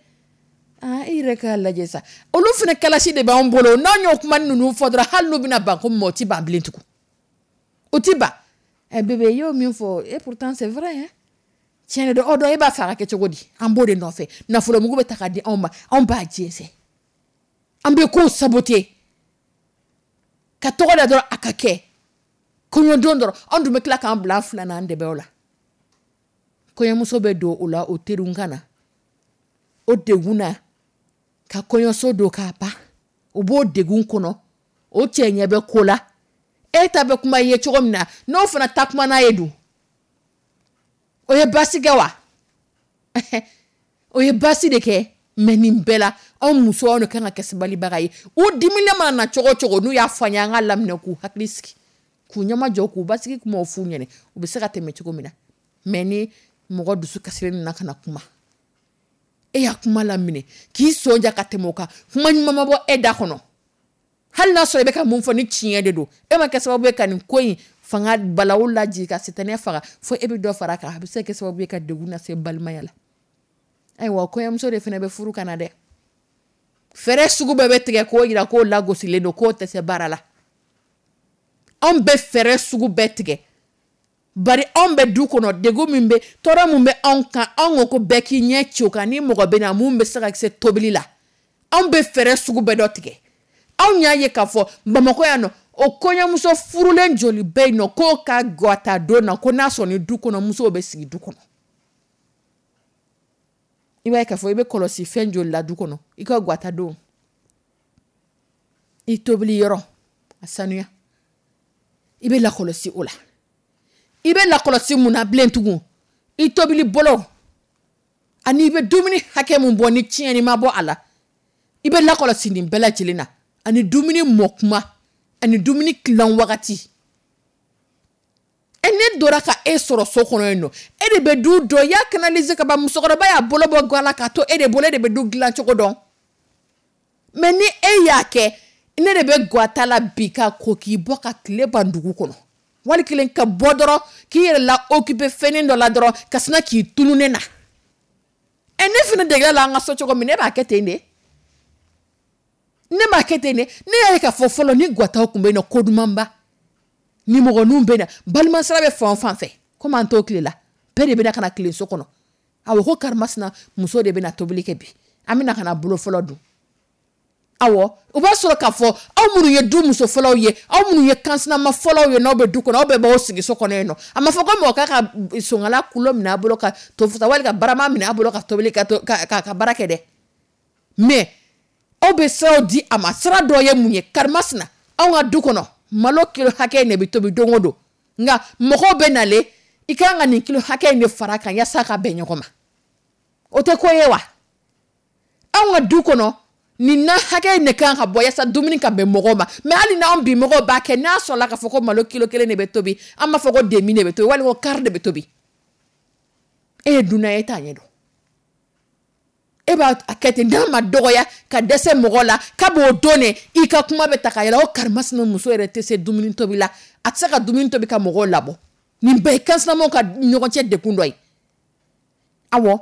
Aa, e yɛrɛ k'a lajɛ sa, olu fana kalasi de b'anw bolo. N'anw y'o kuma ninnu fɔ dɔrɔn, hali n'u bɛna ban ko min ma, o ti ban bilen tugun, o ti ban. Ɛ bébé, i y'o min fɔ, et pourtant c'est vrai hein. Tiɲɛ de don, o dɔn e b'a fɛ a ka kɛ cogo di? An b'o de nɔfɛ. Nafolomugu bɛ ta ka di anw ma, anw b'a jɛnsɛn, an bɛ kow saboter ka tɔgɔ da dɔrɔn a ka kɛ kɔɲɔdon dɔrɔn. Anw dun bɛ tila k'an bila an fila n'an dɛbɛw la. Kɔɲɔmuso bɛ don o la, o teriw ka na o degun na ka kɔɲɔso don k'a ban, o b'o degun kɔnɔ, o cɛ ɲɛ bɛ ko la. E ta bɛ kuma i ye cogo min na, n'o fana ta kuma n'a ye dun, o ye baasi kɛ wa? O ye baasi de kɛ. Mais nin bɛɛ la, anw musow, anw de kan ka kɛ sabalibaga ye. U diminen mana na cogo o cogo, n'u y'a fɔ an ye, an ka laminɛ k'u hakili sigi, k'u ɲɛmajɔ, k'u basigi, kumaw f'u ɲɛna, u bɛ se ka tɛmɛ cogo min na. Mais ni mɔgɔ dusu kasilen nana ka na kuma, e y'a kuma laminɛ k'i sɔn ja ka tɛmɛ o kan, kuma ɲuman ma bɔ e da kɔnɔ, hali n'a sɔrɔ i bɛ ka mun fɔ ni tiɲɛ de don, e ma kɛ sababu ye ka nin ko in fanga balawu lajigin ka sitanɛ faga, fo e bɛ dɔ fara a kan, a bɛ se ka kɛ sababu ye ka degun lase balimaya la. Ayiwa, kɔɲɔmuso de fana bɛ furu ka na dɛ. Fɛɛrɛ sugu bɛɛ bɛ tigɛ k'o jira k'o lagosilen don, k'o tɛ se baara la. Anw bɛ fɛɛrɛ sugu bɛɛ tigɛ, bari anw bɛ du kɔnɔ, degun min bɛ, tɔɔrɔ min bɛ anw kan, anw ko ko bɛɛ k'i ɲɛ ci o kan. Ni mɔgɔ bɛ na mun bɛ se ka se tobili la, anw bɛ fɛɛrɛ sugu bɛɛ dɔ tigɛ. Anw y'a ye k'a fɔ Bamakɔ yan nɔ, o kɔɲɔmuso furulen joli bɛ yen nɔ k'o ka gata don na, ko n'a sɔrɔ ni du kɔnɔ musow bɛ sigi du kɔnɔ? I b'a ye k'a fɔ i bɛ kɔlɔsi fɛn joli la du kɔnɔ. I ka gata don, i tobili yɔrɔ a sanuya, i bɛ lakɔlɔsi o la. I bɛ lakɔlɔsi mun na bilen tugun? I tobili bolo ani i bɛ dumuni hakɛ mun bɔ ni tiɲɛni ma bɔ a la, i bɛ lakɔlɔsi nin bɛɛ lajɛlen na, ani dumuni mɔ kuma ani dumuni tilan wagati. E ne dora ka e sɔrɔ so kɔnɔ yen nɔ, e de bɛ du dɔn, i y'a canaliser ka ban. Musokɔrɔba y'a bolo bɔ ga la k'a to e de bolo, e de bɛ du dilan cogo dɔn. Mais ni e y'a kɛ, ne de bɛ gata la bi ka ko k'i bɔ ka tile ban dugu kɔnɔ, wali kelen ka bɔ dɔrɔn k'i yɛrɛ la occuper fɛnnin dɔ la dɔrɔn, ka sina k'i tunu ne na. Ɛ, ne fana degela la an ka so cogo min, ne b'a kɛ ten de, ne b'a kɛ ten de. Ne y'a ye k'a fɔ fɔlɔ, ni gataw tun bɛ yen nɔ, ko dumanba nimɔgɔninw bɛ na, balimasira bɛ fan o fan fɛ, komi an t'o tile la, bɛɛ de bɛ na ka na tile so kɔnɔ. Awɔ, ko karimasina muso de bɛ na tobili kɛ bi, an bɛ na ka na bolo fɔlɔ dun. Awɔ, o b'a sɔrɔ k'a fɔ aw minnu ye du muso fɔlɔw ye, aw minnu ye kansinama fɔlɔw ye, n'aw bɛ du kɔnɔ, aw bɛɛ b'aw sigi so kɔnɔ yen nɔ. A ma fɔ ko mɔgɔ k'a ka sonkala kulo minɛ a bolo ka to fasa, wali ka barama minɛ a bolo ka tobili ka ka ka baara kɛ dɛ. Mais aw bɛ siraw di a ma. Sira dɔ ye mun ye? Karimasina, anw ka du kɔnɔ, malo kilo hakɛ in de bɛ tobi don o don, nka mɔgɔw bɛ nalen, i ka kan ka nin kilo hakɛ in de fara a kan yaasa ka bɛn ɲɔgɔn ma. O tɛ ko ye wa? Anw ka du kɔnɔ, nin na hakɛ in de kan ka bɔ yaasa dumuni ka bɛn mɔgɔw ma. Mais hali n'anw bi mɔgɔw b'a kɛ, n'a sɔrɔla k'a fɔ ko malo kilo kelen de bɛ tobi, an b'a fɔ ko demi de bɛ tobi, walima ko quart de bɛ tobi. E ye dunan ye, e t'a ɲɛdɔn, e b'a kɛ ten. N'a ma dɔgɔya ka dɛsɛ mɔgɔ la, k'a b'o don de i ka kuma bɛ ta ka yɛlɛ o karimasina muso yɛrɛ tɛ se dumuni tobi la, a tɛ se ka dumuni tobi ka mɔgɔw labɔ. Nin bɛɛ ye kansinamaw ka ɲɔgɔn cɛ degun dɔ ye. Awɔ,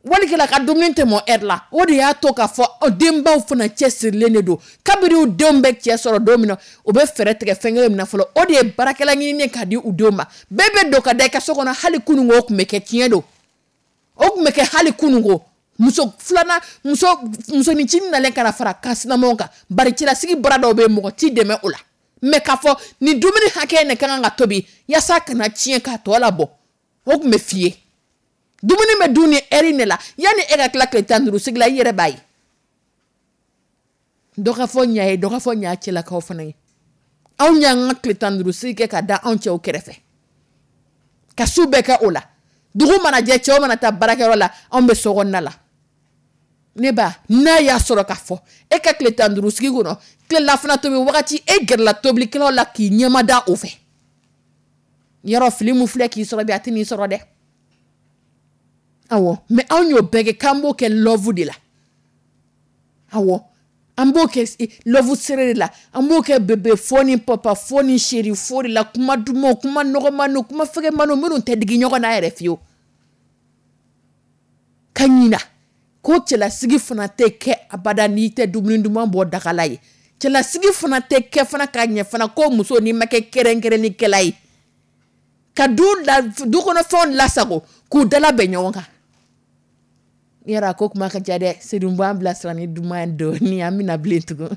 walikɛla ka dumuni tɛ mɔ heure la, o de y'a to k'a fɔ denbaw fana cɛsirilen de don. Kabini u denw bɛ cɛ sɔrɔ don min na, u bɛ fɛɛrɛ tigɛ fɛn kelen min na fɔlɔ, o de ye baarakɛla ɲininen ka di u denw ma. Bɛɛ bɛ don ka da i ka so kɔnɔ. Hali kununko o tun bɛ kɛ, tiɲɛ don, o tun bɛ kɛ hali kununko. Muso filanan, muso musoninncinin nalen ka na fara kansinamaw kan, bari cɛlasigi baara dɔw bɛ yen, mɔgɔ t'i dɛmɛ o la. Mais k'a fɔ nin dumuni hakɛ in de ka kan ka tobi yaasa kana tiɲɛ k'a tɔ labɔ, o tun bɛ f'i ye. Dumuni bɛ dun ni heure in de la, yanni e ka tila tile tan ni duuru sigi la, i yɛrɛ b'a ye. Dɔ ka fɔ ɲa ye, dɔ ka fɔ ɲa cɛlakaw fana ye. Anw y'an ka tile tan ni duuru sigi kɛ ka da anw cɛw kɛrɛfɛ, ka su bɛɛ kɛ o la. Dugu mana jɛ, cɛw mana taa baarakɛyɔrɔ la, anw bɛ so kɔnɔna la. Ne ba, n'a y'a sɔrɔ k'a fɔ e ka tile tan ni duuru sigi kɔnɔ, tilelafana tobi wagati, e gɛrɛla tobilikɛlaw la k'i ɲɛma da o fɛ, yɔrɔ fili min filɛ k'i sɔrɔ bi, a tɛ n'i sɔrɔ dɛ. Awɔ, mais anw y'o bɛɛ kɛ k'an b'o kɛ love de la. Awɔ, an b'o kɛ love serré de la, an b'o kɛ bébé fo ni papa fo ni chéri fo de la, kuma dumanw, kuma nɔgɔmaniw, kuma fɛgɛmaniw minnu tɛ digi ɲɔgɔn na yɛrɛ fiyewu. Ka ɲina ko cɛlasigi fana tɛ kɛ abada n'i tɛ dumuni duman bɔ dagala ye. Cɛlasigi fana tɛ kɛ fana ka ɲɛ fana ko muso n'i ma kɛ kɛrɛnkɛrɛnnikɛla ye. Ka du la, du kɔnɔ fɛnw lasago k'u dala bɛn ɲɔgɔn kan. Yara ko kuma ka ca dɛ. Seydou b'an bilasira ni duman dɔɔni, an bɛna bilen tugun.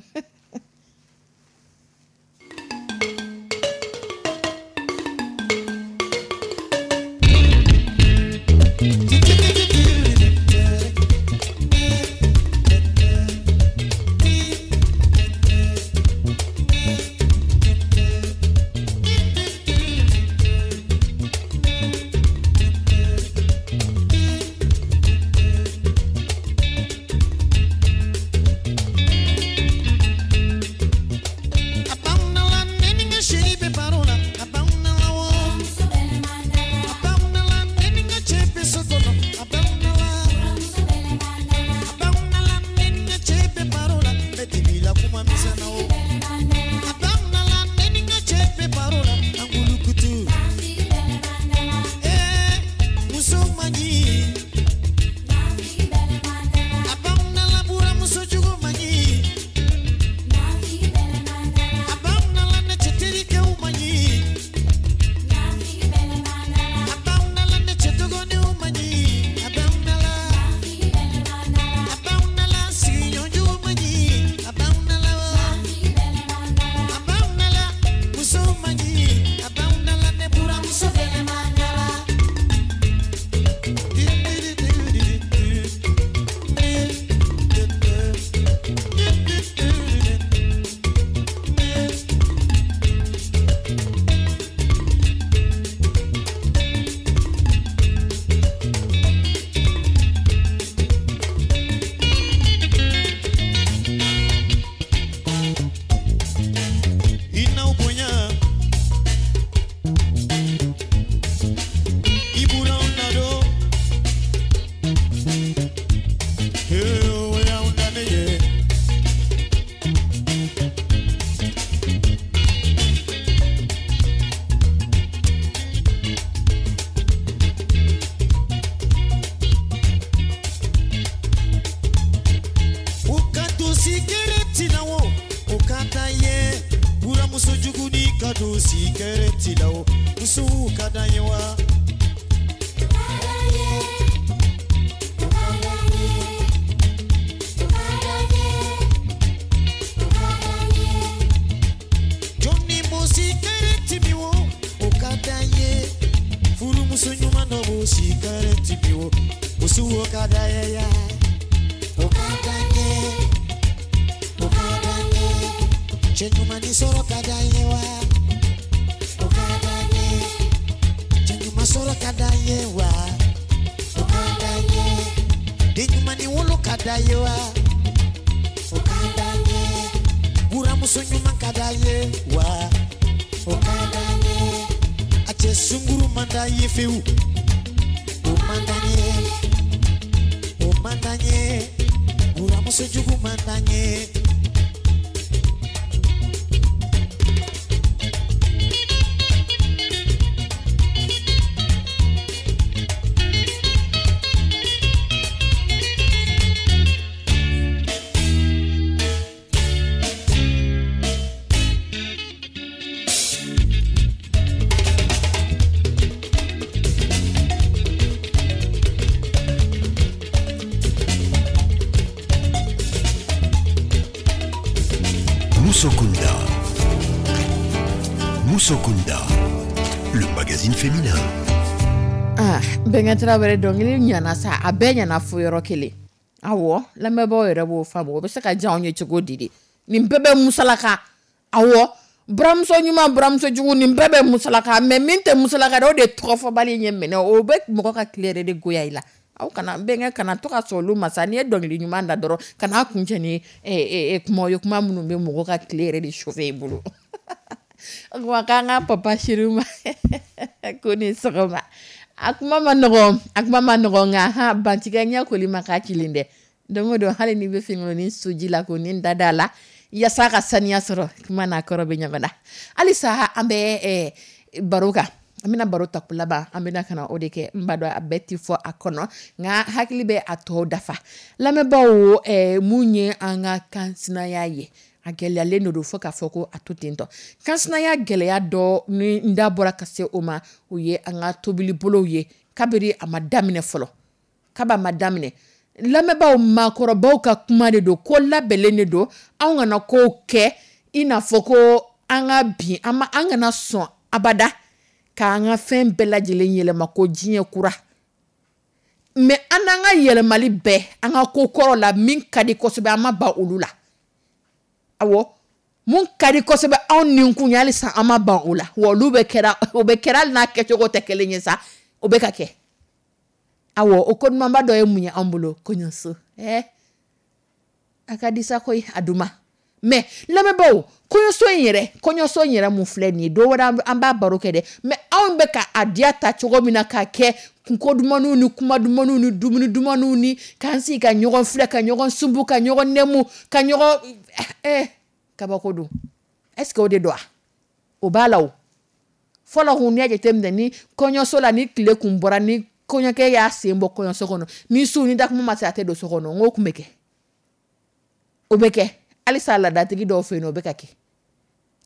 Musokunda. Musokunda, le magazine féminin. Ah, Bɛnkɛ Tarawele, dɔnkili ɲana sa, a bɛɛ ɲana fo yɔrɔ kelen. Awɔ, lamɛnbaaw yɛrɛ b'o faamu, o bɛ se ka diya anw ye cogo di de? Nin bɛɛ bɛ musalaka. Awɔ, buramuso ɲuman, buramuso jugu, nin bɛɛ bɛ musalaka, mais min tɛ musalaka dɛ, o de ye tɔgɔfɔbali ɲɛ minɛ, o bɛ mɔgɔ ka tile yɛrɛ de goya i la. Aw kana bɛnkɛ kana to ka sɔn olu ma sa. N'i ye dɔnkili ɲuman da dɔrɔn, kana kuncɛ ni kuma ye, kuma minnu bɛ mɔgɔ ka tile yɛrɛ de chauffer i bolo. O kuma k'an ka papa chéri ma ko ni sɔgɔma. A kuma ma nɔgɔn, a kuma ma nɔgɔn, nka ha bantigɛ ɲɛ koli ma k'a kilen dɛ. Don o don, hali n'i bɛ finikolon soji la k'o ni da da la yaasa ka saniya sɔrɔ, kuma n'a kɔrɔ bɛ ɲɔgɔn na. Halisa an bɛ baro kan, an bɛna baro ta laban, an bɛna ka na o de kɛ. N b'a dɔn a bɛɛ tɛ fɔ a kɔnɔ, nka hakili bɛ a tɔ dafa. Lamɛnbaaw, mun ye an ka kansinaya ye? A gɛlɛyalen de don fo k'a fɔ ko a to tentɔ. Kansinaya gɛlɛya dɔ ni n da bɔra ka se o ma, o ye an ka tobilibolow ye kabiri a ma daminɛ fɔlɔ, kaba ma daminɛ. Lamɛnbaaw, maakɔrɔbaw ka kuma de don, ko labɛnlen de don. Anw kana kow kɛ i n'a fɔ ko an ka bin an ma, an kana sɔn abada k'an ka fɛn bɛɛ lajɛlen yɛlɛma ko diɲɛ kura. Mais an n'an ka yɛlɛmali bɛɛ, an ka ko kɔrɔ la min ka di kosɛbɛ, an ma ban olu la. Awɔ, mun ka di kosɛbɛ anw ni kun ye, halisa an ma ban o la. Wa olu bɛ kɛra, o bɛ kɛra hali n'a kɛcogo tɛ kelen ye sa, o bɛ ka kɛ. Awɔ, o ko dumanba dɔ ye mun ye an bolo? Kɔɲɔso. Ɛɛ, a ka di sa koyi, a duma. Mais lamɛnbaaw, kɔɲɔso in yɛrɛ, kɔɲɔso in yɛrɛ mun filɛ nin ye, don wɛrɛ an b'a baro kɛ dɛ. Mais anw bɛ ka a diya ta cogo min na k'a kɛ kunko dumanniw ni kuma dumanniw ni dumuni dumanniw ni k'an sigi ka ɲɔgɔn filɛ, ka ɲɔgɔn sunbu, ka ɲɔgɔn nɛmu, ka ɲɔgɔn ɛɛ kabako don. Est ce que o de don wa? O b'a la o. Fɔlɔ kun, n'i y'a jateminɛ ni kɔɲɔso la, ni tile kun bɔra, ni kɔɲɔkɛ y'a sen bɔ kɔɲɔso kɔnɔ, ni su ni dakuma ma se, a tɛ don so kɔnɔ. N k'o kun bɛ kɛ, o bɛ kɛ halisa laadatigi dɔw fɛ yen nɔ, o bɛ ka kɛ.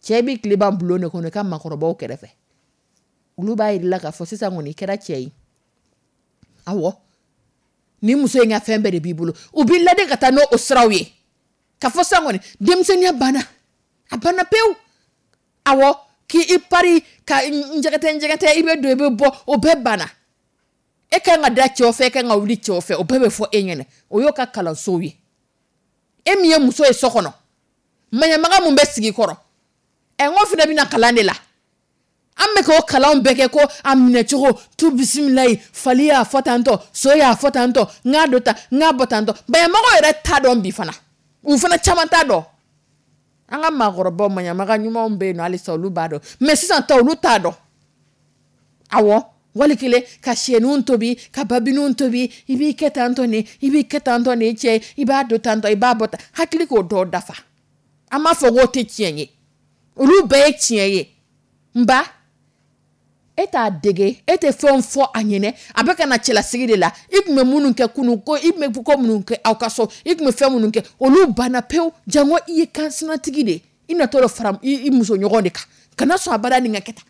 Cɛ b'i tile ban bulon de kɔnɔ i ka maakɔrɔbaw kɛrɛfɛ, olu b'a yir'i la k'a fɔ sisan kɔni i kɛra cɛ ye. Awɔ, ni muso in ka fɛn bɛɛ de b'i bolo, u b'i ladi ka taa n'o siraw ye ka fɔ sisan kɔni denmisɛnninya banna, a banna pewu. Awɔ, k'i pari ka njɛgɛtɛ njɛgɛtɛ, i bɛ don i bɛ bɔ, o bɛɛ banna. E kan ka da cɛw fɛ, e kan ka wuli cɛw fɛ, o bɛɛ bɛ fɔ e ɲɛna. O y'o ka kalansow ye. E min ye muso ye so kɔnɔ, maɲamaga mun bɛ sigi kɔrɔ, ɛ n ko fana bɛna kalan de la. An bɛ k'o kalanw bɛɛ kɛ ko a minɛcogo tu bisimilayi, fali y'a fɔ tantɔ, so y'a fɔ tantɔ, n k'a don tan, n k'a bɔ tantɔ. Maɲamagaw yɛrɛ t'a dɔn bi fana, u fana caman t'a dɔn. An ka maakɔrɔbaw, maɲamaga ɲumanw bɛ yen nɔ halisa, olu b'a dɔn. Mais sisan ta, olu t'a dɔn. Awɔ, wali kelen ka siyɛninw tobi, ka babininw tobi, i b'i kɛ tantɔ nin, i b'i kɛ tantɔ nin cɛ, i b'a don tantɔ, i b'a bɔ tan, hakili k'o dɔw dafa. An b'a fɔ k'o tɛ tiɲɛ ye, olu bɛɛ ye tiɲɛ ye. Nba e t'a dege, e tɛ fɛnw fɔ a ɲɛnɛ, a bɛ ka na cɛlasigi de la. I tun bɛ minnu kɛ kunun ko, i tun bɛ ko minnu kɛ aw ka so, i tun bɛ fɛn minnu kɛ, olu banna pewu. Jango i ye kansinatigi de ye, i natɔ dɔ fara i muso ɲɔgɔn de kan. Kana sɔn abada nin ka kɛ tan,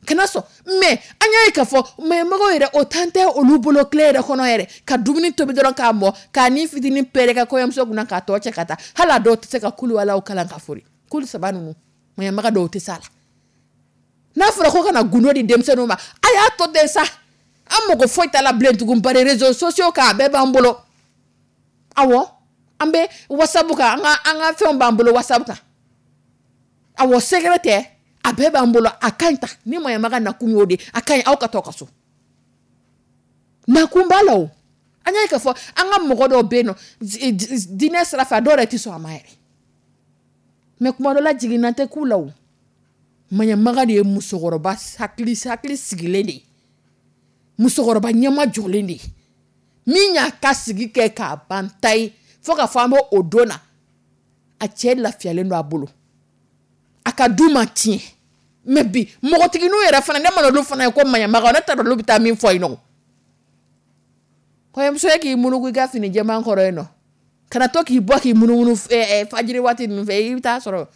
kana sɔn. Mais an y'a ye k'a fɔ maɲamagaw yɛrɛ, o tan tɛ olu bolo tile yɛrɛ kɔnɔ yɛrɛ, ka dumuni tobi dɔrɔn k'a mɔ, k'a ni fitinin pɛrɛ ka kɔɲɔmuso kunna k'a tɔ cɛ ka taa. Hali a dɔw tɛ se ka kulu walaw kalan ka fori kulu saba ninnu, maɲamaga dɔw tɛ s'a la. N'a fɔra ko ka na gundo di denmisɛnninw ma, a y'a to ten sa, an mago foyi t'a la bilen tugun, bari réseaux sociaux kan a bɛɛ b'an bolo. Awɔ, an bɛ WhatsApp kan, an ka an ka fɛnw b'an bolo WhatsApp kan. Awɔ, secret tɛ, a bɛɛ b'an bolo. A ka ɲi ta ni maɲamaga nakun y'o de, a ka ɲi aw ka to ka so, nakun b'a la. O an y'a ye k'a fɔ an ka mɔgɔ dɔw bɛ yen nɔ, diinɛ sira fɛ, a dɔw yɛrɛ tɛ sɔn a ma yɛrɛ. Mais kuma dɔ la, jiginna tɛ k'u la. O maɲamaga de ye musokɔrɔba hakili hakili sigilen de ye, musokɔrɔba ɲɛma jɔlen de ye, min y'a ka sigi kɛ k'a ban ta ye fo ka fɔ an bɛ o don na, a cɛ lafiyalen don a bolo, a ka du ma tiɲɛ. Mais bi npogotigininw yɛrɛ fana, ne mana olu fana ye ko maɲamaga, ne t'a dɔn olu bɛ taa min fɔ yen nɔ. Kɔɲɔmuso ye k'i munugu i ka fini jɛman kɔrɔ yen nɔ, kana to k'i bɔ k'i munumunu fajiri waati ninnu fɛ, i bɛ taa sɔrɔ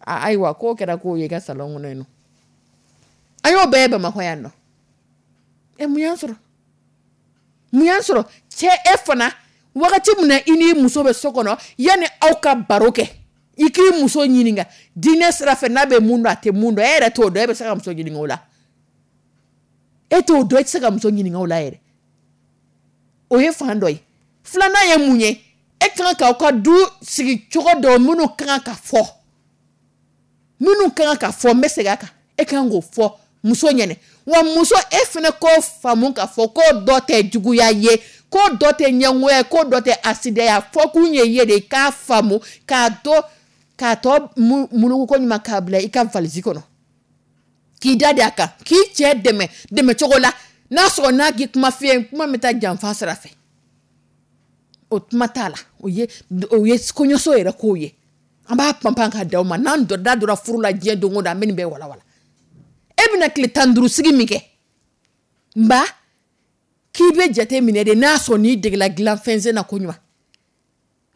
ayiwa k'o kɛra k'o ye i ka salon kɔnɔ yen nɔ. An y'o bɛɛ ye Bamakɔ yan nɔ. Ɛ, mun y'an sɔrɔ? Mun y'an sɔrɔ? Cɛ, e fana, wagati min na i n'i muso bɛ so kɔnɔ, yanni aw ka baro kɛ, i k'i muso ɲininka diinɛ sira fɛ n'a bɛ mun dɔn, a tɛ mun dɔn. E yɛrɛ t'o dɔn, e bɛ se ka muso ɲininka o la? E t'o dɔn, e tɛ se ka muso ɲininka o la yɛrɛ. O ye fan dɔ ye. Filanan ye mun ye? E kan k'aw ka du sigi cogo dɔ minnu kan ka fɔ, minnu kan ka fɔ, n bɛ segin a kan, e kan k'o fɔ muso ɲɛnɛ. Wa muso, e fana k'o faamu k'a fɔ ko dɔ tɛ juguya ye, ko dɔ tɛ ɲɛngoya ye, ko dɔ tɛ asidiya ye. A fɔ kun ye ye de k'a faamu, k'a to k'a tɔ muluku ko ɲuman k'a bila i ka valise kɔnɔ, k'i da de a kan, k'i cɛ dɛmɛ dɛmɛ cogo la n'a sɔrɔ n'a k'i kuma f'i ye, kuma bɛ taa janfa sira fɛ, o kuma t'a la. O ye o ye kɔɲɔso yɛrɛ kow ye. An b'a panpan ka d'aw ma. N'an da donna furu la diɲɛ don o don, an bɛ nin bɛɛ walawala. E bɛna tile tan ni duuru sigi min kɛ, nba k'i bɛ jate minɛ de, n'a sɔrɔ n'i degela dilan fɛnsen na ko ɲuman.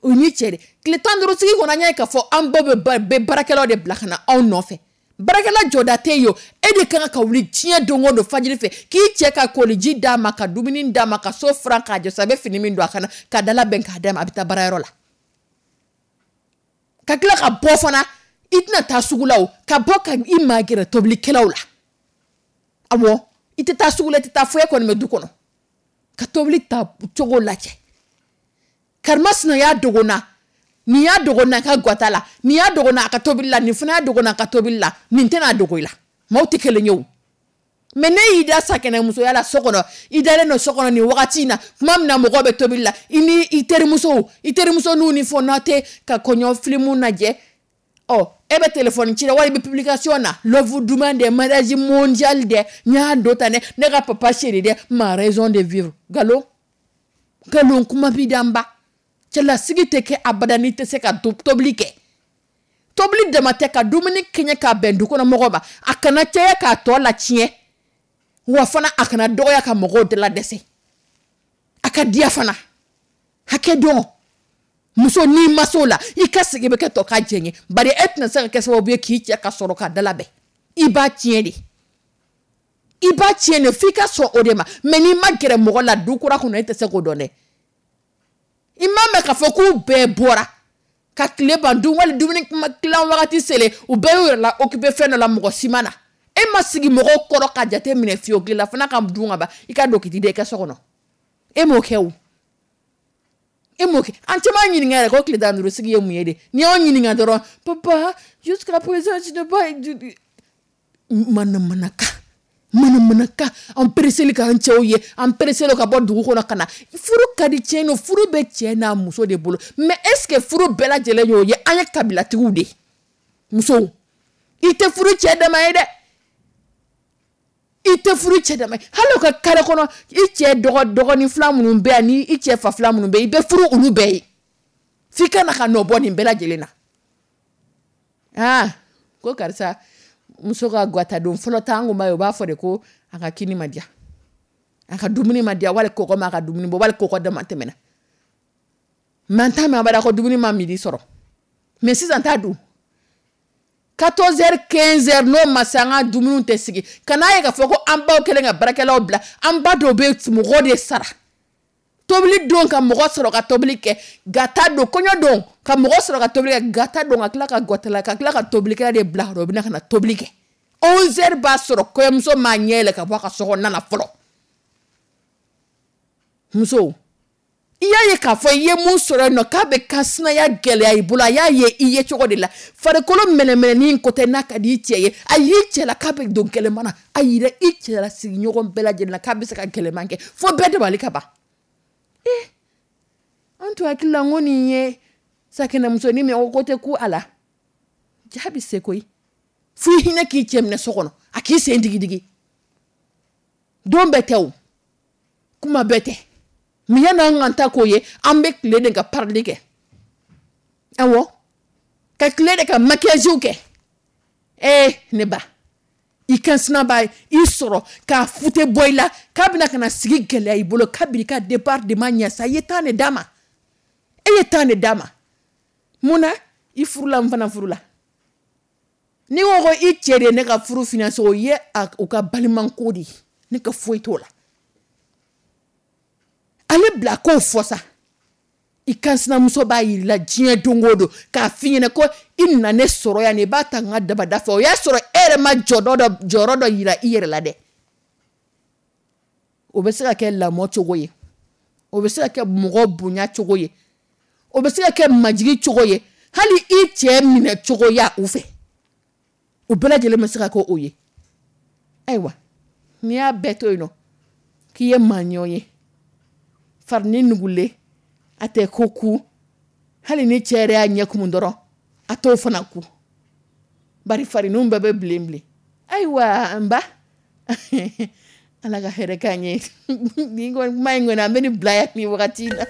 O ni cɛ de tile tan duuru sigi kɔnɔ, an y'a ye k'a fɔ an baw bɛ baarakɛlaw de bila ka na anw nɔfɛ. Baarakɛla jɔda tɛ yen, e de kan ka wuli diɲɛ don o don fajiri fɛ k'i cɛ ka koliji d'a ma, ka dumuni d'a ma, ka so furan k'a jɔ, a bɛ fini min don a kana ka dala bɛn k'a d'a ma, a bɛ taa baarayɔrɔ la. Ka tila ka bɔ fana, i tɛna taa sugu la o, ka bɔ ka i magɛrɛ tobilikɛlaw la. Awɔ, i tɛ taa sugu la, i tɛ taa foyi, kɔni bɛ du kɔnɔ ka tobili ta cogo lajɛ. Karimasina y'a dogo n na, nin y'a dogo n na a ka gata la, nin y'a dogo n na a ka tobili la, nin fana y'a dogo n na a ka tobili la, nin tɛna dogo i la. Maaw tɛ kelen ye o. Mais ne y'i da sakɛnɛmusoya la so kɔnɔ, i dalen don so kɔnɔ nin wagati in na, tuma min na mɔgɔw bɛ tobili la, i ni i terimusow, i terimuso n'u ni fɔ n'a tɛ ka kɔɲɔ filimu lajɛ, ɔ e bɛ telefɔni ci la wali i bɛ publication na, love duman dɛ, mariage mondial dɛ, n y'a don tan dɛ, ne ka papa chéri dɛ, ma raison de vivre. Nkalon, nkalon kuma b'i da n ba. Cɛlasigi tɛ kɛ abada n'i tɛ se ka tobili kɛ. Tobili dama tɛ ka dumuni kɛɲɛ k'a bɛn du kɔnɔ mɔgɔw ma, a kana caya k'a tɔ latiɲɛ, wa fana a kana dɔgɔya ka mɔgɔw dala dɛsɛ. A ka diya fana, hakɛ dɔn. Muso n'i ma s'o la, i ka sigi bɛ kɛ tɔ ka jɛ ye, bari e tɛna se ka kɛ sababu ye k'i cɛ ka sɔrɔ k'a dala bɛn. I b'a tiɲɛ de, i b'a tiɲɛ de, f'i ka sɔn o de ma. Mais n'i ma gɛrɛ mɔgɔ la du kura kɔnɔ, e tɛ se k'o dɔn dɛ. I m'a mɛn k'a fɔ k'u bɛɛ bɔra ka tile ban dun, wali dumuni tilan wagati selen, u bɛɛ y'u yɛrɛ la occupé fɛn dɔ la, mɔgɔ si ma na. E ma sigi mɔgɔw kɔrɔ ka jate minɛ fiyewu, tilela fana ka dun ka ban, i ka don k'i da i ka so kɔnɔ. E m'o kɛ o, e m'o kɛ. An caman ɲininka yɛrɛ ko tile tan duuru sigi ye mun ye de. N'i y'anw ɲininka dɔrɔn, papa jusqu'à présent je n'ai pas manamanakan, manamanakan. An pereseli k'an cɛw ye, an pereseli ka bɔ dugu kɔnɔ ka na. Furu ka di tiɲɛ don, furu bɛ cɛ n'a muso de bolo. Mais est ce que furu bɛɛ lajɛlen y'o ye? An ye kabilatigiw de ye. Musow, i tɛ furu cɛ dama ye dɛ, i tɛ furu cɛ dama ye. Hali o ka kare kɔnɔ, i cɛ dɔgɔ dɔgɔnin fila minnu bɛ yan ni i cɛ fa fila minnu bɛ yen, i bɛ furu olu bɛɛ ye. F'i ka na ka nɔ bɔ nin bɛɛ lajɛlen na. Aa, ko karisa muso ka gata don fɔlɔ ta, an kun b'a ye, u b'a fɔ de ko a ka kini ma diya, a ka dumuni ma diya, wali kɔgɔ ma a ka dumuni bɔ, wali kɔgɔ dama tɛmɛna. Mais an t'a mɛn abada ko dumuni ma midi sɔrɔ. Mais sisan t'a dun quatorze heures, quinze heures, n'o ma se, an ka dumuniw tɛ sigi. Ka n'a ye k'a fɔ ko an baw kɛlen ka baarakɛlaw bila, an ba dɔw bɛ mɔgɔ de sara tobili don ka mɔgɔ sɔrɔ ka tobili kɛ, gata don, kɔɲɔ don ka mɔgɔ sɔrɔ ka tobili kɛ, gata don, ka tila ka gɔtala, ka tila ka tobilikɛla de bila o bɛna ka na tobili kɛ. onze heures b'a sɔrɔ kɔɲɔmuso m'a ɲɛ yɛlɛ ka bɔ a ka so kɔnɔna na fɔlɔ. Muso, i y'a ye k'a fɔ i ye mun sɔrɔ yen nɔ k'a bɛ ka sinaya gɛlɛya i bolo, a y'a ye i ye cogo de la. Farikolo mɛnɛmɛnɛni ko tɛ n'a ka di i cɛ ye, a y'i cɛ la k'a bɛ don gɛlɛman na, a yira i cɛ la sigiɲɔgɔn bɛɛ lajɛlen na k'a bɛ se ka gɛlɛman kɛ fo bɛɛ dabali ka ban. Eh, an tun hakili la n ko nin ye sakɛnɛmusonin min ye, o ko tɛ ku a la. Ja bɛ se koyi, fo i hinɛ k'i cɛ minɛ so kɔnɔ, a k'i sen digidigi. Don bɛɛ tɛ o, kuma bɛɛ tɛ. Mais yan'an ka ta k'o ye, an bɛ tile de ka parili kɛ. Awɔ, ka tile de ka maquillage kɛ. Ee ne ba, i kan sina b'a i sɔrɔ k'a fute bɔ i la k'a bɛna ka na sigi gɛlɛya i bolo kabini ka départ de ma ɲɛ sa. I ye temps de d'a ma, e ye temps de d'a ma. Mun na i furula, n fana furula. N'i ko ko i cɛ de ye ne ka furu financer, o ye u ka balimanko de ye, ne ka foyi t'o la. Ale bila k'o fɔ sa, i kan sinamuso b'a yir'i la diɲɛ don o don k'a f'i ɲɛna ko i nana ne sɔrɔ yan, i b'a ta n ka dabada fɛ. O y'a sɔrɔ e yɛrɛ ma jɔdɔ dɔ jɔyɔrɔ dɔ yira i yɛrɛ la dɛ. O bɛ se ka kɛ lamɔ cogo ye, o bɛ se ka kɛ mɔgɔ bonya cogo ye, o bɛ se ka kɛ majigi cogo ye, hali i cɛ minɛ cogoya u fɛ, o bɛɛ lajɛlen bɛ se ka kɛ o ye. Ayiwa, n'i y'a bɛɛ to yen nɔ k'i ye maaɲɔ ye, farini nugulen a tɛ ko ku, hali ni cɛ yɛrɛ y'a ɲɛ kumu dɔrɔn a t'o fana ku, bari fariniw bɛɛ bɛ bilen bilen. Ayiwa n ba, Ala ka hɛrɛ k'an ye. Nin kuma in kɔni, an bɛ nin bila yan nin wagati in na.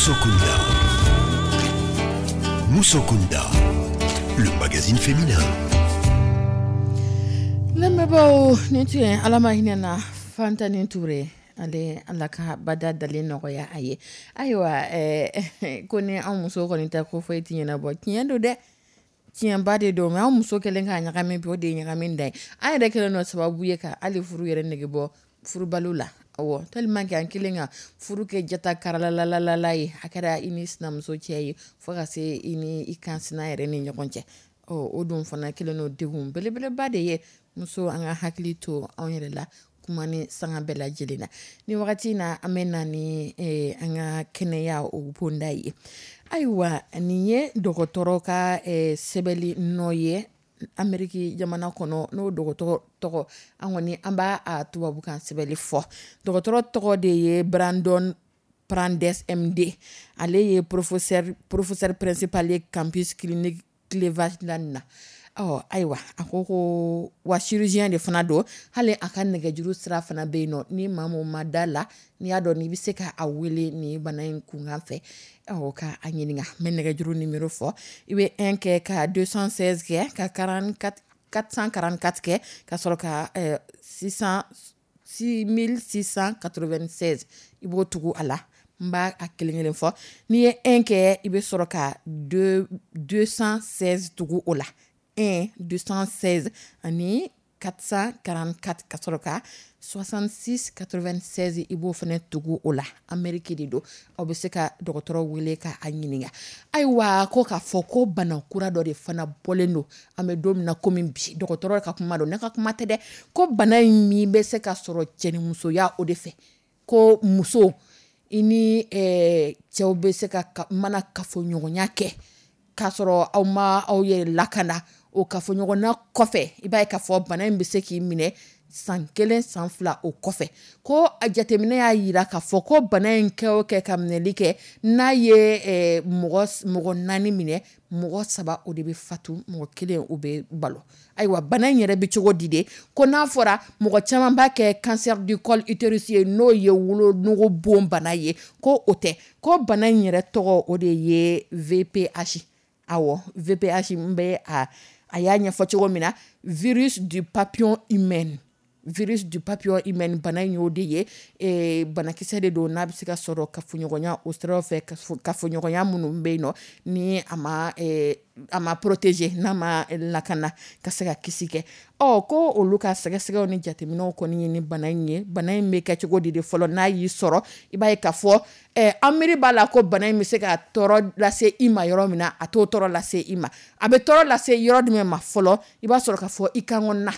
Musokunda. Musokunda, le magazine féminin. Lamɛnbaaw, nin tun ye Ala ma hinɛ na Fantani Ture ale, Ala ka bada dalen nɔgɔya a ye. Ayiwa, ɛɛ ko ni an muso kɔni tɛ ko foyi ti ɲɛnabɔ, tiɲɛ don dɛ, tiɲɛba de don. Mais an muso kɛlen k'a ɲagami bi, o de ye ɲagami da ye. An yɛrɛ kɛlen don sababu ye ka hali furu yɛrɛ nege bɔ furubaliw la. Awɔ, tellement que an kɛlen ka furu kɛ jata karalalalala ye, a kɛra i ni sinamuso cɛ ye, fo ka se i ni i kansina yɛrɛ ni ɲɔgɔn cɛ. Ɔ, o dun fana kɛlen don degun belebeleba de ye. Muso, an ka hakili to anw yɛrɛ la kuma ni sanga bɛɛ lajɛlen na. Ni wagati in na, an bɛ na ni eh, an ka kɛnɛya o bonda ye. Ayiwa, nin ye dɔgɔtɔrɔ ka eh, sɛbɛnni nɔ ye Ameriki jamana kɔnɔ. N'o dɔgɔtɔrɔ tɔgɔ, an kɔni an b'a a tubabukan sɛbɛnni fɔ, dɔgɔtɔrɔ tɔgɔ de ye Brandon Brandes M D. Ale ye professeur professeur principal ye campus clinique Cleveland na. Ɔ, ayiwa, a ko ko wa chirurgien de fana don. Hali a ka nɛgɛjuru sira fana bɛ yen nɔ, ni maa mun ma da la, n'i y'a dɔn n'i bɛ se ka a wele nin bana in kunkan fɛ, ɔ, ka a ɲininka. N bɛ nɛgɛjuru numéro fɔ: i bɛ un kɛ ka deux cent seize kɛ ka quarante-quatre quatre cent quarante-quatre kɛ ka sɔrɔ ka eh, six cents six mille six cent quatre-vingt-seize, i b'o tugu a la. N b'a a kelen kelen fɔ: n'i ye un kɛ, i bɛ sɔrɔ ka deux deux cent seize tugu o la, un deux cent seize ani quatre cent quarante-quatre, ka sɔrɔ ka soixante-six quatre-vingt-seize, i b'o fana tugu o la. Amérique de don, aw bɛ se ka dɔgɔtɔrɔ wele ka a ɲininka. Ayiwa, ko k'a fɔ ko bana kura dɔ de fana bɔlen don, an bɛ don min na komi bi. Dɔgɔtɔrɔ ka kuma don, ne ka kuma tɛ dɛ. Ko bana in min bɛ se ka sɔrɔ cɛnimusoya o de fɛ, ko muso i ni eh, cɛw bɛ se ka mana kafoɲɔgɔnya kɛ k'a sɔrɔ aw ma aw yɛrɛ lakana, o kafoɲɔgɔnna kɔfɛ, i b'a ye k'a fɔ bana in bɛ se k'i minɛ san kelen, san fila o kɔfɛ. Ko a jateminɛ y'a yira k'a fɔ ko bana in kɛ o kɛ ka minɛli kɛ, n'a ye eh, mɔgɔ mɔgɔ naani minɛ, mɔgɔ saba o de bɛ fatu, mɔgɔ kelen o bɛ balo. Ayiwa, bana in yɛrɛ bɛ cogo di de? Ko n'a fɔra, mɔgɔ caman b'a kɛ cancer du col utérus ye, n'o ye wolonugu bon bana ye, ko o tɛ. Ko bana in yɛrɛ tɔgɔ o de ye V P H. Awɔ, V P H, n bɛ a a y'a ɲɛfɔ cogo min na, virus du papillome humain, virus du papillome humain, bana in y'o de ye. eh, banakisɛ de don n'a bɛ se ka sɔrɔ kafoɲɔgɔnya o siraw fɛ, kafoɲɔgɔnya minnu bɛ yen nɔ ni a ma eh, a ma protéger, n'a ma lakana ka se ka kisi kɛ. Ɔ, ko olu ka sɛgɛsɛgɛw ni jateminɛw kɔni ye ni bana in ye. Bana in bɛ kɛ cogo di de fɔlɔ? N'a y'i sɔrɔ, i b'a ye k'a fɔ eh, an miiri b'a la ko bana in bɛ se ka tɔɔrɔ lase i ma yɔrɔ min na, a t'o tɔɔrɔ lase i ma. A bɛ tɔɔrɔ lase yɔrɔ jumɛn ma fɔlɔ? I b'a sɔrɔ k'a fɔ i kan kɔnɔna,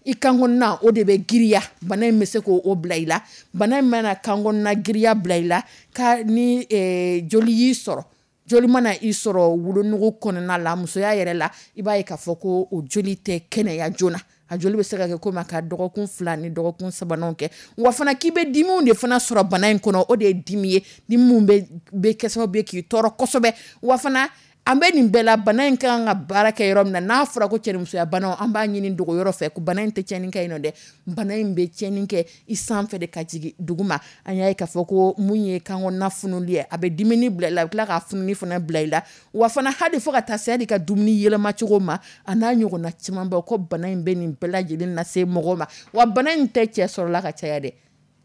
i kan kɔnɔna o de bɛ giriya. Bana in bɛ se k'o bila i la. Bana in mana kan kɔnɔna giriya bila i la, ka ni eh, joli y'i sɔrɔ, joli mana i sɔrɔ wolonugu kɔnɔna la, musoya yɛrɛ la, i b'a ye k'a fɔ ko o joli tɛ kɛnɛya joona. A joli bɛ se ka kɛ komi a ka dɔgɔkun fila ni dɔgɔkun sabananw kɛ. Wa fana k'i bɛ dimiw de fana sɔrɔ bana in kɔnɔ. O de ye dimi ye, dimi mun bɛ bɛ kɛ sababu ye k'i tɔɔrɔ kosɛbɛ. Wa fana, an bɛ nin bɛɛ la, bana in ka kan ka baara kɛ yɔrɔ min na, n'a fɔra ko cɛnimusoya banaw, an b'a ɲini dogo yɔrɔ fɛ ko bana in tɛ tiɲɛni kɛ yen nɔ dɛ. Bana in bɛ tiɲɛni kɛ i sanfɛ de ka jigin dugu ma. An y'a ye k'a fɔ ko mun ye kan kɔnɔna funuli ye, a bɛ dimini bila i la, a bɛ tila ka fununi fana bila i la. Wa fana, hali fo ka taa se hali ka dumuni yɛlɛma cogo ma, a n'a ɲɔgɔnna caman ba. Ko bana in bɛ nin bɛɛ lajɛlen lase mɔgɔ ma. Wa bana in tɛ cɛ sɔrɔla ka caya dɛ.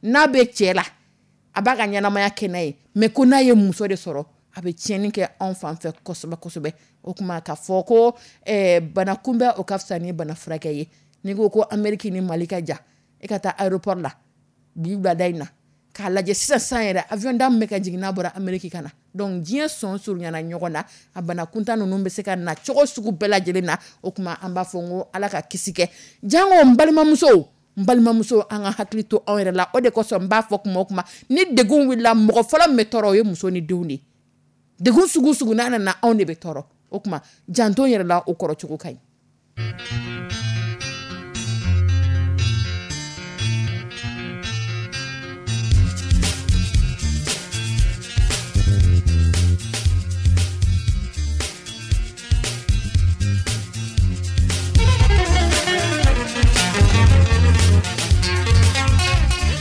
N'a bɛ cɛ la, a b'a ka ɲɛnamaya kɛ n'a ye, mais ko n'a ye muso de sɔrɔ, a bɛ tiɲɛni kɛ anw fan fɛ kosɛbɛ kosɛbɛ. O tuma k'a fɔ ko eh, bana kunbɛn o ka fisa ni bana furakɛ ye. N'i ko ko Amérique ni Mali ka jan, e ka taa aéroport la bi wulada in na k'a lajɛ sisan sisan yɛrɛ, avion da min bɛ ka jigin n'a bɔra Amérique ka na. Donc diɲɛ sɔn surunyana ɲɔgɔn na, a bana kuntan ninnu bɛ se ka na cogo sugu bɛɛ lajɛlen na. O tuma an b'a fɔ n ko Ala ka kisi kɛ. Jango n balimamusow, n balimamuso, an ka hakili to anw yɛrɛ la. O de kosɔn n b'a fɔ kuma o kuma, ni degun wulila, mɔgɔ fɔlɔ min bɛ tɔɔrɔ, o ye muso ni denw de ye. Degun sugu sugu n'a nana, anw de bɛ tɔɔrɔ. O tuma janto yɛrɛ la, o kɔrɔ cogo ka ɲi.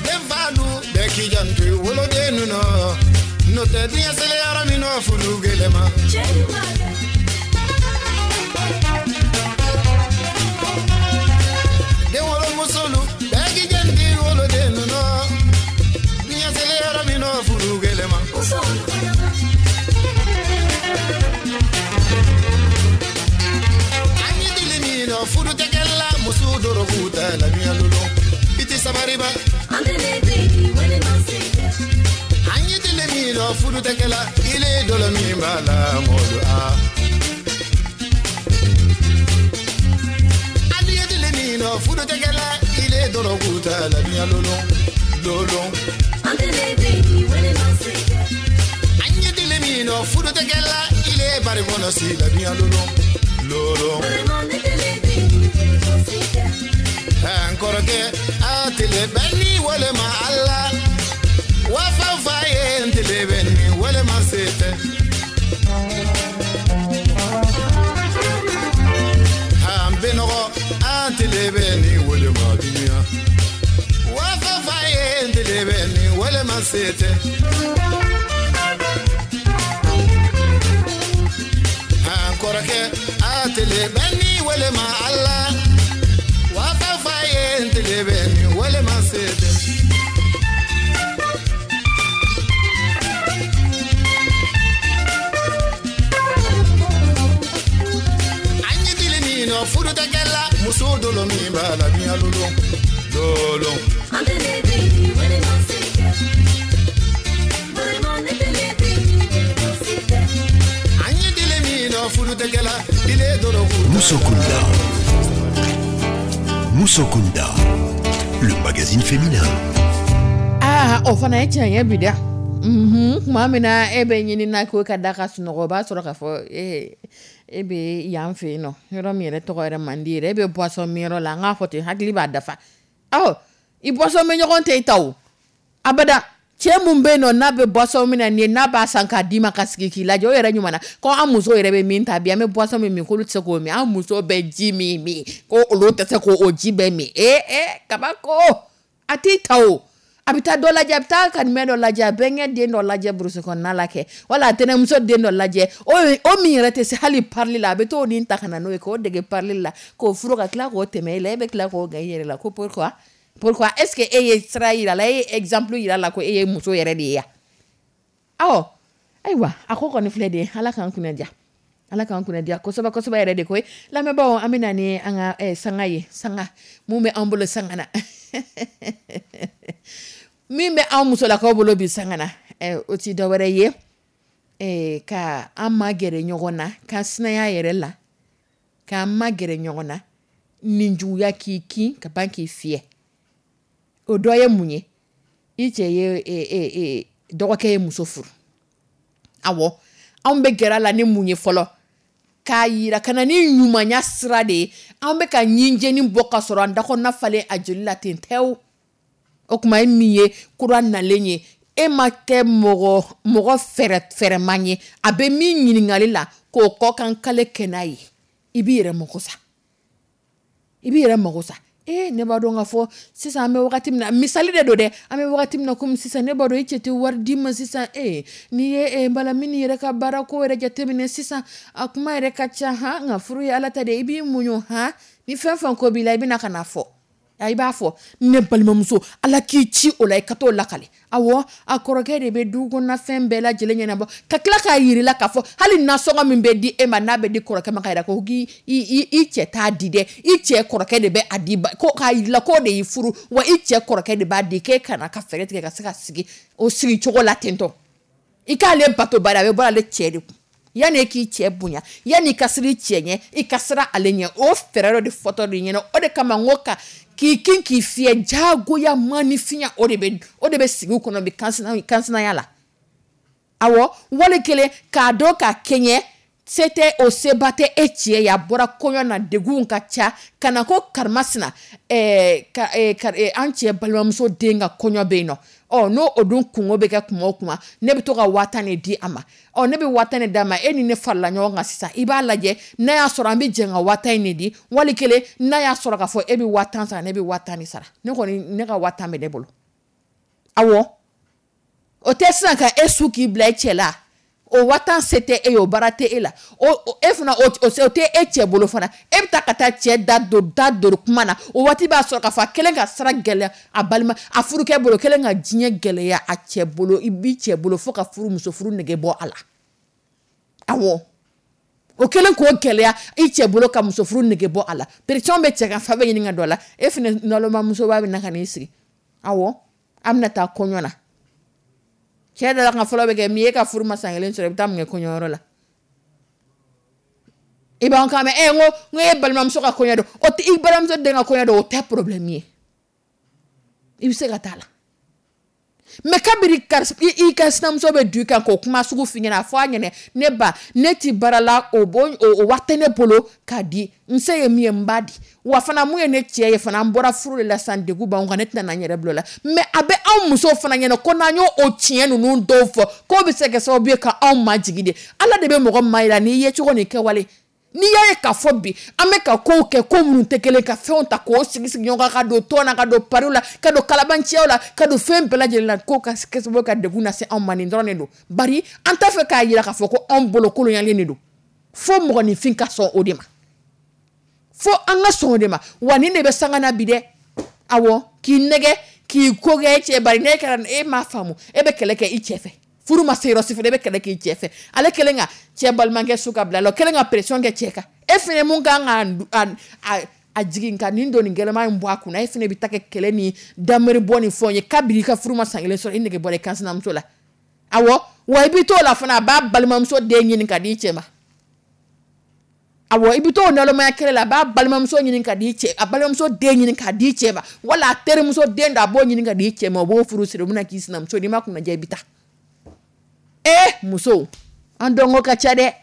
Denfalu bɛɛ k'i janto i woloden ninnu, n'o tɛ. dɔ furu tɛ kɛ la muso dɔrɔgu tɛ la dunya lolo i tɛ sabariba an ye tile min dɔ furu tɛ kɛ la ile dɔlɔ min b'a la mɔlu a ali ye tile min dɔ furu tɛ kɛ la ile dɔrɔgu tɛ la dunya lolo lolo an ye tile min dɔ furu tɛ kɛ la ile bari kɔnɔ si la dunya lolo lolo n kɔrɔkɛ a tile bɛ ni walima ala wa fa fa ye n tile bɛ ni walima se tɛ an bɛ nɔgɔ an tile bɛ ni walima dunuya wa fa fa ye n tile bɛ ni walima se tɛ an kɔrɔkɛ a tile bɛ ni walima ala wa fa fa ye n tile bɛ ni walima se tɛ. An ye tile min nɔ furu tɛ kɛ la muso dolo min b'a la dunya lolo lolo. An ye tile min nɔ furu tɛ kɛ la ile dɔrɔgu. Musokunda. Musokunda, le magazine féminin. Aa o fana ye tiɲɛ ye bi dɛ. Mhm, tuma min na e bɛ ɲini na ko ka da ka sunɔgɔ o b'a sɔrɔ k'a fɔ e e bɛ yan fɛ yen nɔ yɔrɔ min yɛrɛ tɔgɔ yɛrɛ man di yɛrɛ e bɛ boisson min yɔrɔ la an k'a fɔ ten hakili b'a dafa ɔ i boisson min ɲɔgɔn tɛ i ta o abada cɛ mun bɛ yen nɔ n'a bɛ boisson min na nin ye n'a b'a san k'a d'i ma ka sigi k'i lajɛ o yɛrɛ ɲuman na ko an muso yɛrɛ bɛ min ta bi an bɛ boisson min min k'olu tɛ se k'o min an muso bɛ ji min min ko olu tɛ se k'o ji bɛɛ min ee ee kabako a t'i ta o a bɛ taa dɔ lajɛ a bɛ taa kanimɛ dɔ lajɛ a bɛnkɛ den dɔ lajɛ burusi kɔnɔna la kɛ wala a tɛnɛmuso den dɔ lajɛ o o min yɛrɛ tɛ se hali parili la a bɛ t'o nin ta ka na n'o ye k'o dege parili la k'o furu ka tila k'o tɛmɛ e la e bɛ tila k'o gan i yɛrɛ la ko pourquoi pourquoi est-ce que e ye sira yira la e ye exemple yira la ko e ye muso yɛrɛ de ye ya awɔ ayiwa a ko kɔni filɛ de ye ala k'an kunna diya ala k'an kunna diya kosɛbɛ kosɛbɛ yɛrɛ de koyi lamɛnbaaw an bɛ na ni an ka eh, sanga ye sanga mun bɛ an bolo sanga na min bɛ an musolakaw bolo bi sanga na eh, o ti dɔwɛrɛ ye eh, ka an magɛrɛ ɲɔgɔn na ka sinaya yɛrɛ la k'an magɛrɛ ɲɔgɔn na nin juguya k'i kin ka ban k'i fiyɛ o dɔ ye mun ye i cɛ ye e, e, e, dɔgɔkɛ ye muso furu awɔ anw bɛ gɛrɛ a la ni mun ye fɔlɔ k'a yira ka na ni ɲumanya sira de ye an bɛ ka ɲinjeni bɔ ka sɔrɔ an dakɔnɔna falen a joli la ten tɛ o o kuma ye min ye kura nalen ye e ma kɛ mɔgɔ mɔgɔ fɛrɛ fɛrɛman ye a bɛ min ɲininkali la k'o kɔkan kale kɛ n'a ye i b'i yɛrɛ mako sa i b'i yɛrɛ mako sa ee ne b'a dɔn k'a fɔ sisan an bɛ wagati min na misali de don dɛ an bɛ wagati min na komi sisan ne b'a dɔn i cɛ tɛ wari d'i ma sisan ee n'i ye e balamini yɛrɛ ka baara ko yɛrɛ jateminɛ sisan a kuma yɛrɛ ka ca han nka furu ye ala ta de ye i b'i muɲu han ni fɛn fɛn ko b'i la i bɛna ka na fɔ i b'a fɔ ne balimamuso ala k'i ci o la i ka t'o lakale awɔ a kɔrɔkɛ de bɛ du kɔnɔna fɛn bɛɛ lajɛlen ɲɛnabɔ ka tila k'a yir'i la k'a fɔ hali nasɔngɔ min bɛ di e ma n'a bɛ di kɔrɔkɛ ma k'a yira ko k'i i i cɛ t'a di dɛ i cɛ kɔrɔkɛ de bɛ a di ba ko k'a yir'i la k'o de y'i furu wa i cɛ kɔrɔkɛ de b'a di k'e kana ka fɛɛrɛ tigɛ ka se ka sigi o sigi cogo la ten tɔ i k'ale bato bari a bɛ bɔ ale cɛ de kun yanni e k'i cɛ bonya yanni i ka siran i cɛ ɲɛ i ka siran ale ɲɛ o fɛɛrɛ dɔ de fɔtɔ de ɲɛna o de kama n ko ka k'i kin k'i fiyɛ jagoya maanifinya o de bɛ o de bɛ sigi kɔnɔ bi kansinaya la awɔ wali kelen k'a dɔn k'a kɛɲɛ se tɛ o seba tɛ e cɛ ye a bɔra kɔɲɔ na degun ka ca ka na ko karimasina ɛɛ ka ɛɛ an cɛ balimamuso den ka kɔɲɔ bɛ yen nɔ ɔ n'o o dun kungo bɛ kɛ kuma o kuma ne bɛ to ka waa tan de di a ma ɔ ne bɛ waa tan de d'a ma e ni ne farala ɲɔgɔn kan sisan i b'a lajɛ n'a y'a sɔrɔ an bɛ jɛ ka waa tan in de di wali kelen n'a y'a sɔrɔ k'a fɔ e bɛ waa tan sara ne bɛ waa tan de sara ne kɔni ne ka waa tan bɛ ne bolo awɔ o tɛ sisan ka e su k'i bila e cɛ la o waa tan se tɛ e ye o baara tɛ e la o e fana o o tɛ e cɛ bolo fana e bɛ taa ka taa cɛ da don da don kuma na o waati b'a sɔrɔ k'a fɔ a kɛlen ka sira gɛlɛya a balima a furukɛ bolo kɛlen ka diɲɛ gɛlɛya a cɛ bolo i b'i cɛ bolo fo ka furu muso furu nege bɔ a la awɔ O kɛlen k'o gɛlɛya i cɛ bolo ka muso furu nege bɔ a la, pression bɛ cɛ kan, fa bɛ ɲini ka don a la. E fana naloma musoba bɛ na ka n'i sigi, awɔ, an bɛna taa kɔɲɔ la. Cɛ dala ka fɔlɔ bɛ kɛ min ye, e ka furu ma san kelen sɔrɔ, i bɛ taa mun kɛ kɔɲɔyɔrɔ la? I b'an kan mɛn, ɛ n ko n ko e balimamuso ka kɔɲɔ don, o tɛ i balimamuso den ka kɔɲɔ don, o tɛ problème ye, i bɛ se ka taa la. Mais kabiri karisa i ka sinamuso bɛ du kan k'o kuma sugu f'i ɲɛna, a fɔ a ɲɛna, ne ba, ne ti baara la, o bo o wari tɛ ne bolo k'a di, n se ye min ye n b'a di, wa fana mun ye ne cɛ ye fana, an bɔra furu de la sisan, degun b'anw kan, ne tɛna na n yɛrɛ bila o la. Mais a bɛ anw musow fana ɲɛna ko n'an y'o o tiɲɛ ninnu dɔw fɔ, k'o bɛ se ka kɛ sababu ye ka anw majigin de. Ala de bɛ mɔgɔ maa yira n'i ye cogo ni kɛwale. N'i y'a ye k'a fɔ bi an bɛ ka kow kɛ, ko minnu tɛ kelen, ka fɛnw ta k'o sigi sigi ɲɔgɔn kan, ka don tɔn na, ka don pariw la, ka don kalabanciyaw la, ka don fɛn bɛɛ lajɛlen la, k'o ka kɛ sababu ye ka degun lase anw ma, nin dɔrɔn de don. Bari an t'a fɛ k'a yira k'a fɔ ko anw bolo kolonyalen de don, fo mɔgɔninfin ka sɔn o de ma, fo an ka sɔn o de ma. Wa nin de bɛ sanga na bi dɛ, awɔ, k'i nɛgɛ k'i ko kɛ e cɛ, bari n'e kɛra e m'a faamu, e bɛ kɛlɛ kɛ i cɛ fɛ, furu ma se yɔrɔ si fɛ, e bɛ kɛlɛ k'i cɛ fɛ, ale kelen ka cɛ balimakɛ su ka bila la, o kelen ka pression kɛ cɛ kan, e fɛnɛ mun kan ka a a jigin ka nin don nin gɛlɛman in bɔ a kunna, e fɛnɛ bɛ taa kɛ kɛlɛ ni dameri bɔ ni fɛnw ye, kabini i ka furu ma san kelen sɔrɔ, i nege bɔra i kan sinamuso la. Awɔ, wa i bɛ t'o la fana, a b'a balimamuso den ɲini ka di i cɛ ma. Awɔ, i bɛ t'o nalomaya kɛlɛ la, a b'a balimamuso ɲini ka di cɛ, a balimamuso den ɲini ka di cɛ ma, wala a terimuso den dɔ a b'o ɲini ka di cɛ ma, o b'o furu siri, o bɛna k'i sinamuso, n'i ma kunnaja i bɛ taa. Eh, musow, an dɔnko ka ca dɛ.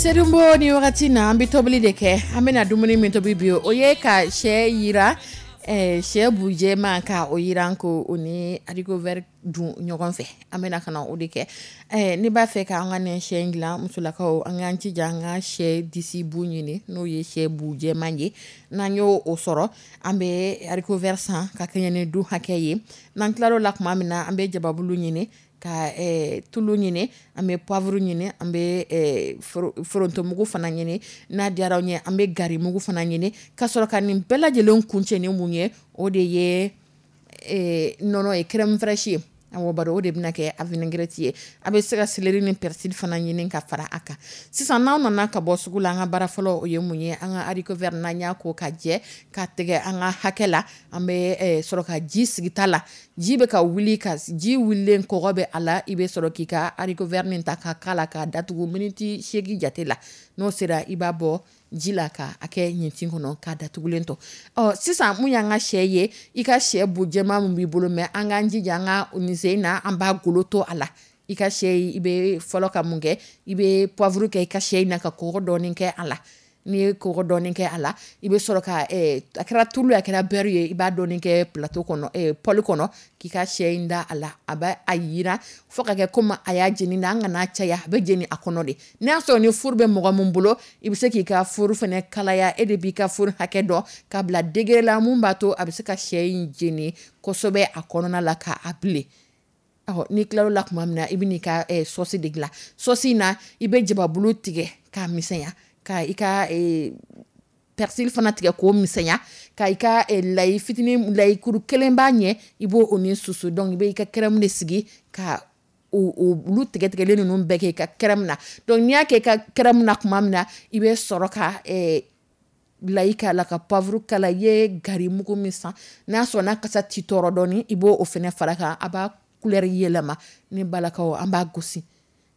Serimbo, ni wagati na an bɛ tobili de kɛ, an bɛna dumuni min tobi bi, o ye ka sɛ yira, eh, sɛ bujɛma ka o yiran ko o ni haricot vert dun ɲɔgɔn fɛ. An bɛna ka na o de kɛ. Eh, n'i b'a fɛ k'an ka nin sɛ in dilan, musolakaw, an k'an jija an ka sɛ disi bu ɲini, n'o ye sɛ bujɛman ye. N'an y'o o sɔrɔ, an bɛ haricot vert san ka kɛɲɛ ni du hakɛ ye. N'an tilar'o la tuma min na, an bɛ jababulu ɲini, ka eh, tulu ɲini, an bɛ poivre ɲini, an bɛ eh, forontomugu fana ɲini, n'a diyara aw ye an bɛ garimugu fana ɲini, ka sɔrɔ ka nin bɛɛ lajɛlen kuncɛ ni mun ye, o de ye eh, nɔnɔ ye, crème fraîche ye. Awɔ, bari o de bɛna kɛ a vinaigrette ye. A bɛ se ka céleri ni persil fana ɲini ka fara a kan. Sisan n'aw nana ka bɔ sugu la, an ka baara fɔlɔ o ye mun ye, an ka haricot vert n'an y'a ko ka jɛ ka tigɛ an ka hakɛ la, an bɛ sɔrɔ ka ji sigi ta la. Ji bɛ ka wuli, ka ji wulilen kɔgɔ bɛ a la, i bɛ sɔrɔ k'i ka haricot vert nin ta ka k'a la k'a datugu miniti seegin jate la. N'o sera, i b'a bɔ ji la ka a kɛ ɲintin kɔnɔ k'a datugulen to. Ɔ sisan mun y'an ka sɛ ye, i ka sɛ bu jɛman min b'i bolo, mɛ an k'an jija an ka nin sen na, an b'a golo to a la. I ka sɛ, i bɛ fɔlɔ ka mun kɛ, i bɛ poivre kɛ i ka sɛ in na ka kɔgɔ dɔɔni kɛ a la. N'i ye kɔgɔ dɔɔni kɛ a la, i bɛ sɔrɔ ka a kɛra tulu a kɛra beurre ye, i b'a dɔɔni kɛ plateau kɔnɔ, poêle kɔnɔ, k'i ka sɛ in da a la. A b'a a yiran fo ka kɛ komi a y'a jeni, an kana caya, a bɛ jeni a kɔnɔ de. N'a y'a sɔrɔ ni four bɛ mɔgɔ min bolo, i bɛ se k'i ka four fana kalaya, e de b'i ka four hakɛ dɔn k'a bila degré la mun b'a to a bɛ se ka sɛ in jeni kosɛbɛ a kɔnɔna la k'a bilen. Ɔ n'i tilar'o la tuma min na, i bɛ n'i ka sauce de dilan. Sauce in na, i bɛ jababulu tigɛ k'a misɛnya, ka i ka persil fana tigɛ k'o misɛnya, ka i ka layi fitinin, layikuru kelen b'a ɲɛ, i b'o o ni susu. Donc i bɛ i ka crème de sigi ka olu tigɛtigɛlen ninnu bɛɛ kɛ i ka crème na. Donc n'i y'a kɛ i ka crème na tuma min na, i bɛ sɔrɔ ka layi k'a la, ka poivre k'a la. I ye gari mugu min san, n'a sɔrɔ n'a kasa t'i tɔɔrɔ dɔɔni, i b'o fana fara kan, a b'a couleur yɛlɛma. Ne balakaw, an b'a gosi,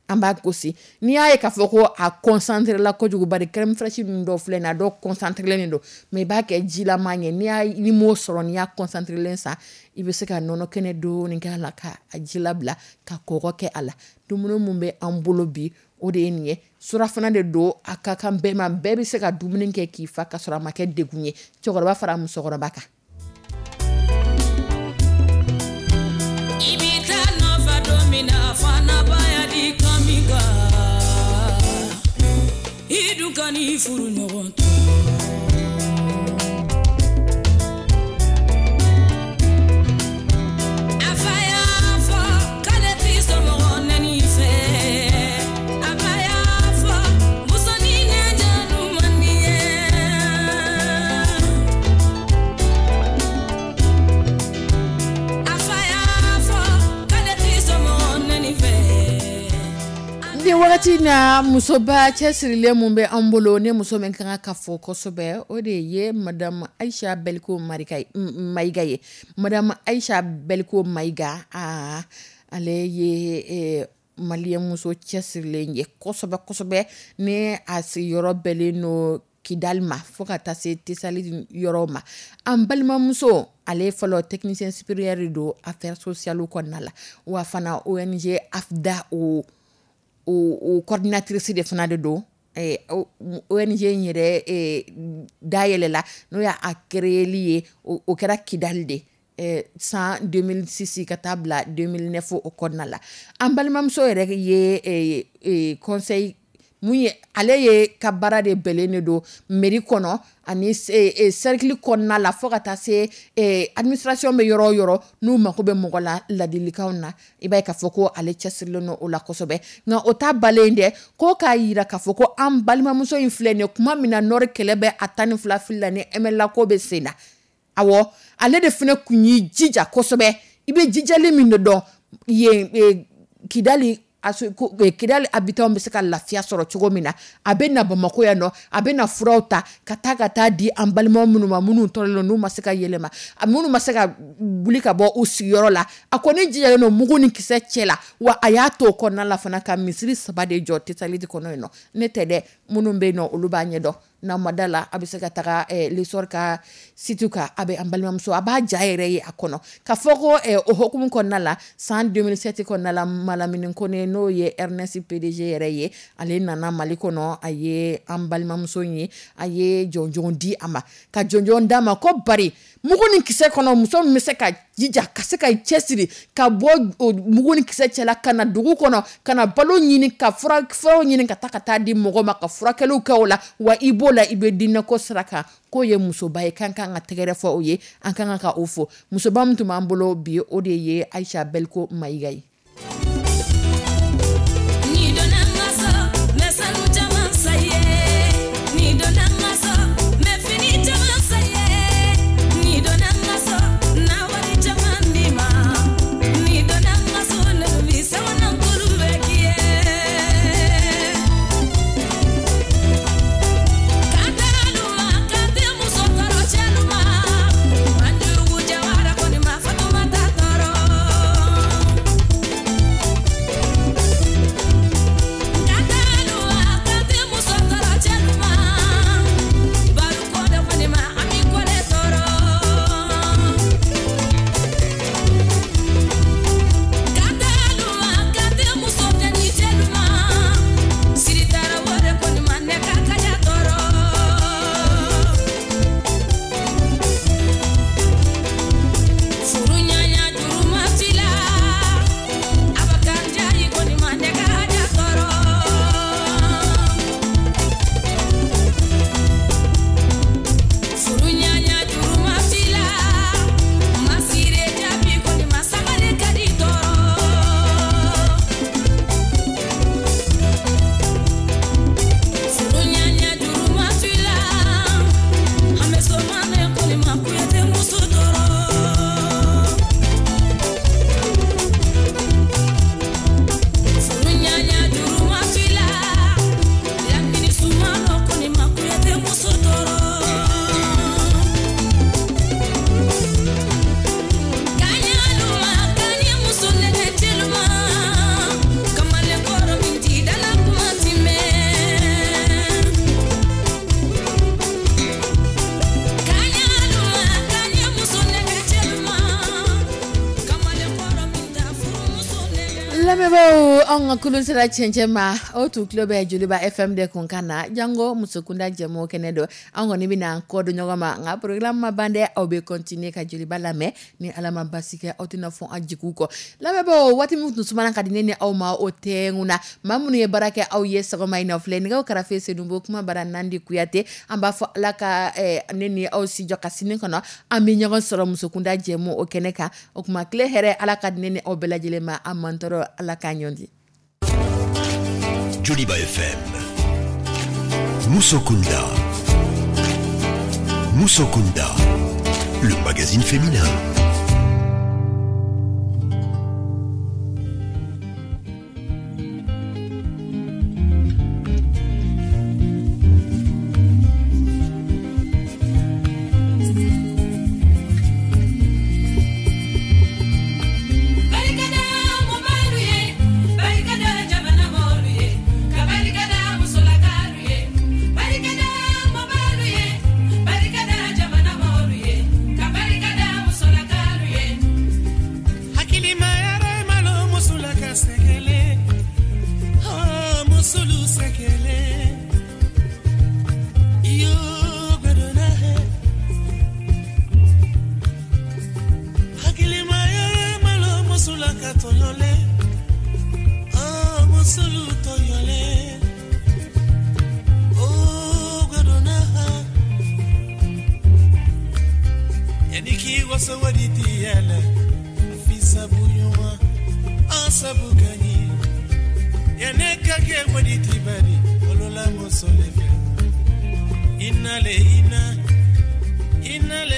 an b'a gosi. N'i y'a ye k'a fɔ ko a concentré la kojugu, bari crème fraîche ninnu dɔw filɛ nin ye, a dɔw concentré len don, mais i b'a kɛ jilama ye. N'i y'a n'i m'o sɔrɔ, n'i y'a concentré len san, i bɛ se ka nɔnɔ kɛnɛ dɔɔni k'a la, ka a jilabila, ka kɔgɔ kɛ a la. Dumuni mun bɛ an bolo bi, o de ye nin ye. Surafana de don, a ka kan bɛɛ ma, bɛɛ bɛ se ka dumuni kɛ k'i fa ka sɔrɔ a ma kɛ degun ye, cɛkɔrɔba fara musokɔrɔba kan. I bɛ taa nɔfɛ don min na, fana baya di kami kan, i dun ka n'i furu ɲɔgɔn to. A fa y'a fɔ k'ale t'i somɔgɔ nɛni fɛ, a ba y'a fɔ musonin nɛnjanu man di ye. A fa y'a fɔ k'ale t'i somɔgɔ nɛni fɛ. Ni wagati na, musoba cɛsirilen mun bɛ an bolo, ne muso min ka kan ka fɔ kosɛbɛ, o de ye Madame Aïcha Beliko Marika Maïga ye. Madame Aïcha Beliko Maïga, aa ale ye maliyɛn muso cɛsirilen ye kosɛbɛ kosɛbɛ. Ni a sigiyɔrɔ bɛnnen don Kidali ma fo ka taa se Tesali yɔrɔ ma. An balimamuso, ale fɔlɔ technicien supérieur de don affaires sociales kɔnɔna la, wa fana O N G AFDA o o coordinatrice de fana de don. O N G in yɛrɛ dayɛlɛla, n'o y'a créeli ye, o kɛra Kidali de san deux mille six ka taa bila deux mille neuf o kɔnɔna la. An balimamuso yɛrɛ ye conseil mun ye, ale ye ka baara de bɛnnen de don mairie kɔnɔ ani cercle kɔnɔna la, fo ka taa se administration bɛ yɔrɔ o yɔrɔ n'u mako bɛ mɔgɔ la ladilikanw na, i b'a ye k'a fɔ ko ale cɛsirilen don o la kosɛbɛ. Nka o ta balen dɛ, ko k'a yira k'a fɔ ko an balimamuso in filɛ nin ye, kuma min na Nord kɛlɛ bɛ a tan ni fila fili la ni M L A ko bɛ sen na, awɔ ale de fana kun y'i jija kosɛbɛ. I bɛ jijali min de dɔn yen Kidali, Kidali habitants bɛ se ka lafiya sɔrɔ cogo min na, a bɛ na Bamakɔ yan nɔ, a bɛ na furaw ta ka taa ka taa di an balimaw minnu ma, minnu tɔɔrɔlen don, n'u ma se ka yɛlɛma, minnu ma se ka wuli ka bɔ u sigiyɔrɔ la. A kɔni jijalen don mugu ni kisɛ cɛ la, wa a y'a to o kɔnɔna la fana ka misiri saba de jɔ Tesaliti kɔnɔ yen nɔ. Ne tɛ dɛ, minnu bɛ yen nɔ olu b'a ɲɛdɔn. N'a ma da la, a bɛ se ka taga l'essor ka site kan, a bɛ an balimamuso, a b'a ja yɛrɛ ye a kɔnɔ. Ka fɔ ko o hokumu kɔnɔna la, san deux mille sept kɔnɔna la, Malamine Kone n'o ye Ernest P D G yɛrɛ ye, ale nana Mali kɔnɔ, a ye an balimamuso ye, a ye jɔnjɔn di a ma, ka jɔnjɔn d'a ma ko bari mugu ni kisɛ kɔnɔ, muso min bɛ se ka jija, ka se ka cɛsiri ka bɔ mugu ni kisɛ cɛla ka na dugu kɔnɔ, ka na balo ɲini, ka fura furaw ɲini ka taa ka taa di mɔgɔ ma, ka furakɛliw kɛ o la, wa i b'o la i bɛ diinɛko sira kan. K'o ye musoba ye, k'an kan ka tɛgɛrɛ fɔ o ye, an kan ka o fo. Musoba min tun b'an bolo bi, o de ye Aïcha Beliko Maïga ye. Lamɛnbaaw, anw ka kulun sera cɛncɛn ma. Aw tun tulo bɛ Joliba F M de kun kan na, jango musokunda jɛmu kɛnɛ don. An kɔni bɛna kɔ don ɲɔgɔn ma, nka programme ma ban dɛ. Aw bɛ continuer ka Joliba lamɛn. Ni Ala ma basi kɛ, aw tɛna fɔ an jigiw kɔ. Lamɛnbaaw, waati min tun sumana ka di ne ni aw ma, o tɛ na maa minnu ye baara kɛ aw ye sɔgɔma in na filɛ: nɛgɛw karafe, Sedubo, kuma bara, Nandi Kuyate. An b'a fɔ Ala ka ne ni aw si jɔ ka sini kɔnɔ, an bɛ ɲɔgɔn sɔrɔ musokunda jɛmu o kɛnɛ kan. O tuma, tile hɛrɛ, Ala ka di ne ni aw bɛɛ lajɛlen ma. An mantɔrɔ, Ala k'a ɲɔn di. Joliba F M. Musokunda. Musokunda. Le magazine féminin. Barikada mɔbalu ye, barikada jamana mɔlu ye, ka barikada musolakalu ye. Barikada mɔbalu ye, barikada jamana mɔlu ye, ka barikada musolakalu ye. Hakilima yɛrɛ malo musula ka sɛgɛlɛ, oh, musulu sɛgɛlɛ iyo gbɛdɔnna he. Hakilima yɛrɛ malo musula ka tɔɲɔlɛ, oh, musulu tɔɲɔlɛ, oh, gbɛdɔnna ha. Yani k'i waso wadi ti yɛlɛ fi sabu ɲuman an sabu ka ɲi yanni ka kɛ wadi ti bari olola muso le fɛ inale ina inale.